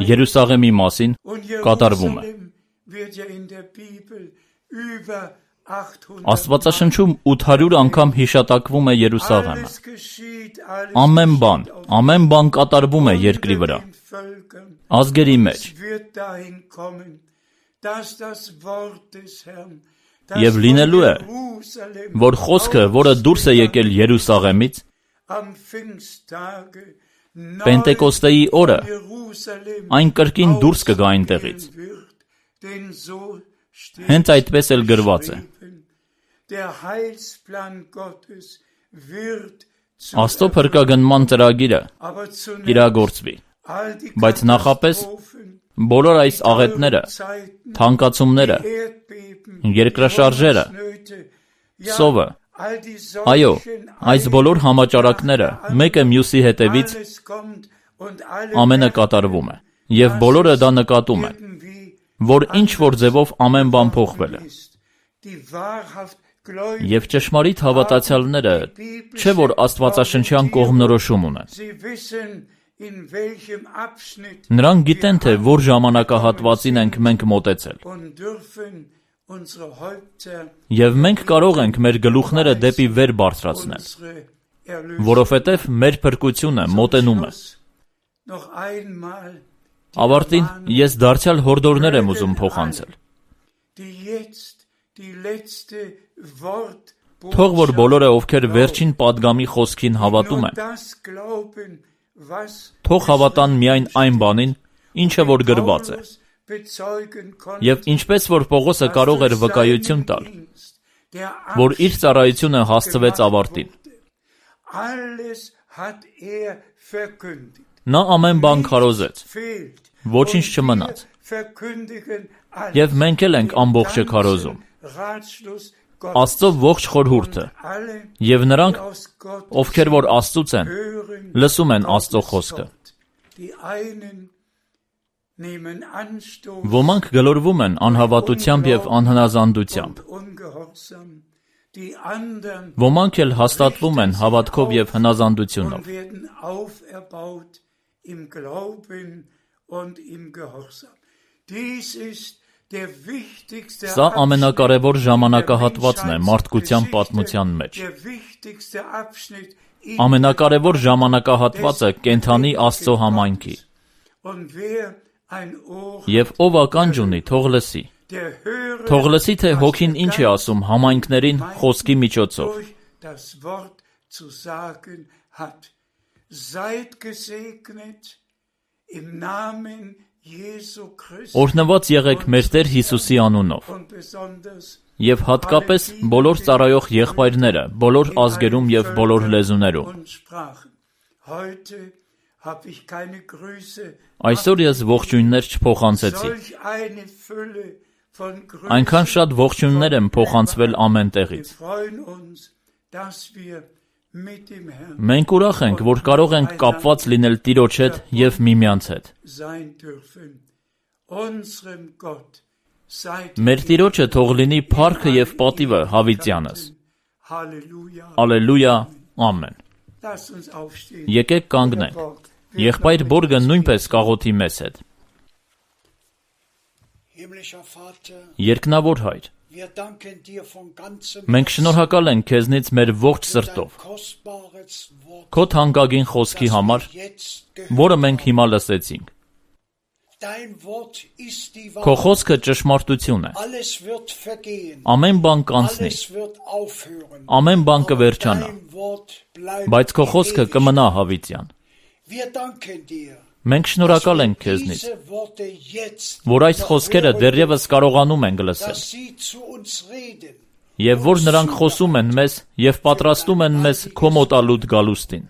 Երուսաղեմի մասին կատարվում է։ Աստվածաշնչում 800 անգամ հիշատակվում է Երուսաղեմը։ Ամեն բան կատարվում է երկրի վրա, ազգերի մեջ։ Եվ լինելու է, որ խոսքը, որը դուրս է եկել Երուսաղեմից, Պենտեկոստեի օրը, այն կրկին դուրս կգա այնտեղից։ Հենց այդպես էլ գրված է։ Աստծո փրկագնման ծրագիրը կիրագործվի, բայց նախապես բոլոր այս աղետները, թանկացումները, երկրաշարժերը, սովը, այո, այս բոլոր համաճարակները մեկը մյուսի հետևից ամենը կատարվում է, եւ բոլորը դա նկատում են, որ ինչ-որ ձևով ամեն բան փոխվել է։ Եվ ճշմարիտ հավատացյալները չէ որ աստվածաշնչյան կողմնորոշում ունեն։ Նրանք գիտեն, թե որ ժամանակահատվածին ենք մենք մոտեցել։ Եվ մենք կարող ենք մեր գլուխները դեպի վեր բարձրացնել, որովհետև մեր փրկությունը մոտենում է։ Ավարտին ես դարձյալ հորդորներ եմ ուզում փոխանցել։ Թող որ բոլորը, ովքեր վերջին պատգամի խոսքին հավատում են, թող հավատան միայն այն բանին, ինչը որ գրված է։ Եվ ինչպես որ Պողոսը կարող էր վկայություն տալ, որ իր ծառայությունը հասցվեց ավարտին։ Նա ամեն բան քարոզեց, ոչինչ չմնաց։ Եվ մենք էլ ենք ամբողջը քարոզում։ Աստծո ողջ խորհուրդը, եւ նրանք, ովքեր որ Աստծուց են, լսում են Աստծո խոսքը։ Ոմանք գլորվում են անհավատությամբ եւ անհնազանդությամբ։ Ոմանք էլ հաստատվում են հավատքով եւ հնազանդությունով։ Սա ամենակարևոր ժամանակահատվածն է մարդկության պատմության մեջ։ Ամենակարևոր ժամանակահատվածը կենդանի Աստծո համայնքի։ Եվ ով ականջ ունի, թող լսի։ Թող լսի, թե Հոգին ինչ է ասում համայնքներին խոսքի միջոցով։ Օրհնված եղեք մեր Տեր Հիսուսի անունով։ Եվ հատկապես բոլոր ծառայող եղբայրները, բոլոր ազգերում եւ բոլոր լեզուներում։ Այսօր ես ողջույններ չփոխանցեցի։ Այնքան շատ ողջույններ եմ փոխանցվել ամեն տեղից։ Մենք ուրախ ենք, որ կարող ենք կապված լինել Տիրոջ հետ եւ միմյանց հետ։ Մեր Տիրոջը թող լինի փառքը եւ պատիվը հավիտյանս։ Ալելույա, ամեն։ Եկեք կանգնենք։ Եղբայր Բորգը նույնպես կաղոթի մեզ հետ։ Երկնավոր Հայր, մենք շնորհակալ ենք քեզնից մեր ողջ սրտով, քո թանկագին խոսքի համար, որը մենք հիմա լսեցինք։ Dein Wort ist die Քո Wahrheit. խոսքը ճշմարտություն է։ Alles wird vergehen. Ամեն բան կանցնի, Alles wird aufhören. ամեն բան Aber կվերջանա, dein Wort bleibt բայց քո խոսքը ewig. կմնա հավիտյան։ Wir danken dir, Մենք շնորհակալ dass ենք wir քեզնից, diese Worte jetzt որ այս խոսքերը hören, դեռևս կարողանում ենք լսել, dass sie zu uns reden. եւ որ նրանք խոսում են մեզ եւ պատրաստում են մեզ քո մոտալուտ գալուստին։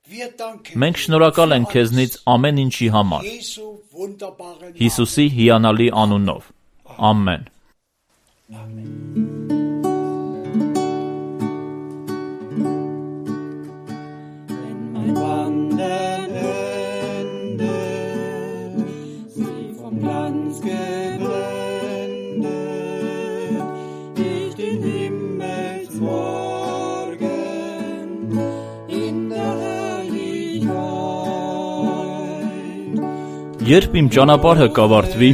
Wir danken Մենք dir շնորհակալ für ենք քեզնից alles. ամեն ինչի համար, Jesu wunderbaren Namen. Հիսուսի հիանալի անունով։ Ամեն։ Mein Wandern endet, sie vom Glanz geblendet, ich den Himmelsmorgen in der Herrlichkeit. Երբ իմ ճանապարհը կավարտվի,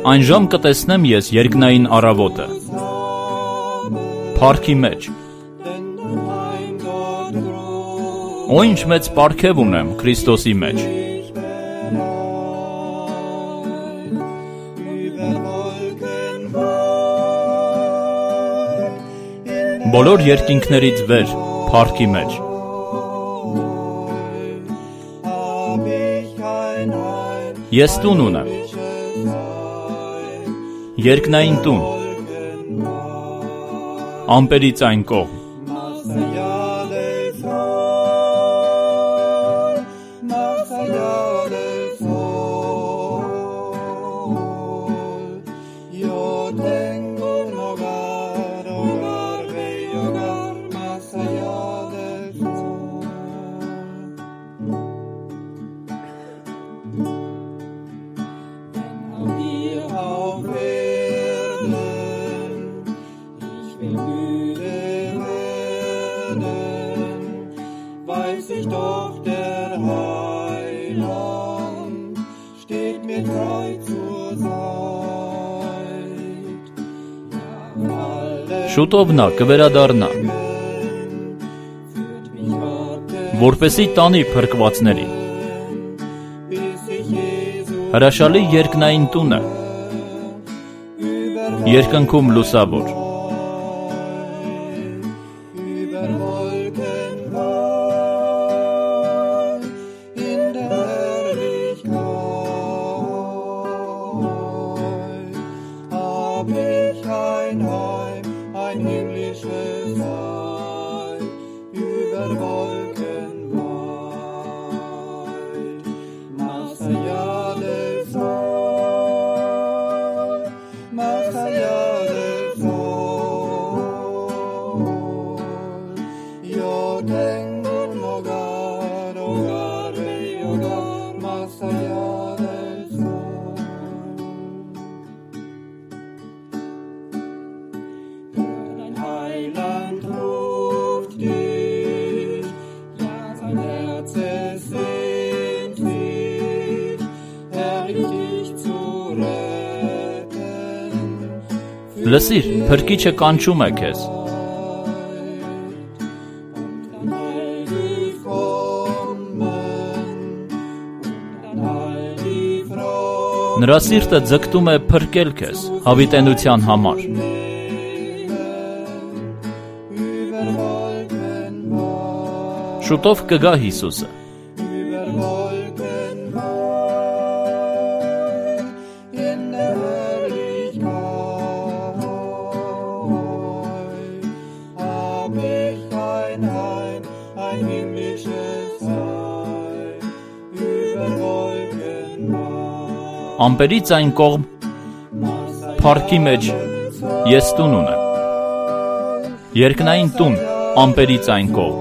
այն ժամ կտեսնեմ ես երկնային առավոտը, փառքի մեջ։ Denn dein Heim dort groß Ու ինչ մեծ պարգև ունեմ Քրիստոսի մեջ։ ich bereit, über Wolken weit, Բոլոր երկինքներից վեր փառքի մեջ։ hab ich ein Heim, Ես տուն ունեմ, երկնային տուն, ամպերից այն կողմ։ más allá del sol, más allá del sol. Yo tengo un hogar, hogar, bello hogar, más allá del sol. Wenn auch hier auf Erden ich will müde werden, weiß ich doch, der Heiland steht mir treu zur Seite. Ja, alle Շուտով նա կվերադառնա, führt mich Gottes, որպեսի տանի փրկվածներին։ bis ich Jesus Հրաշալի երկնային տունը, երկնքում լուսավոր։ über Wolken weit in der Herrlichkeit hab ich ein Heim, ein himmlisches Heim über Wolken weit, más allá del sol, más allá del sol. Yo tengo un hogar, hogar, bello hogar, más allá del sol. Dein Heiland ruft dich, ja, sein Herz es sehnt sich, herrlich dich zu retten. Լսիր, փրկիչը կանչում է քեզ։ Dann heil dich kommen, dann heil die Frau. Նրա սիրտը ձգտում է փրկել քեզ հավիտենության համար։ Über Wolken weit, Շուտով կգա Հիսուսը։ über Wolken weit, in der Herrlichkeit hab ich ein Heim, ein himmlisches Heim, über Wolken weit, Ամպերից այն կողմ más allá փառքի մեջ ես տուն ունեմ։ Երկնային տուն ամպերից այն կողմ։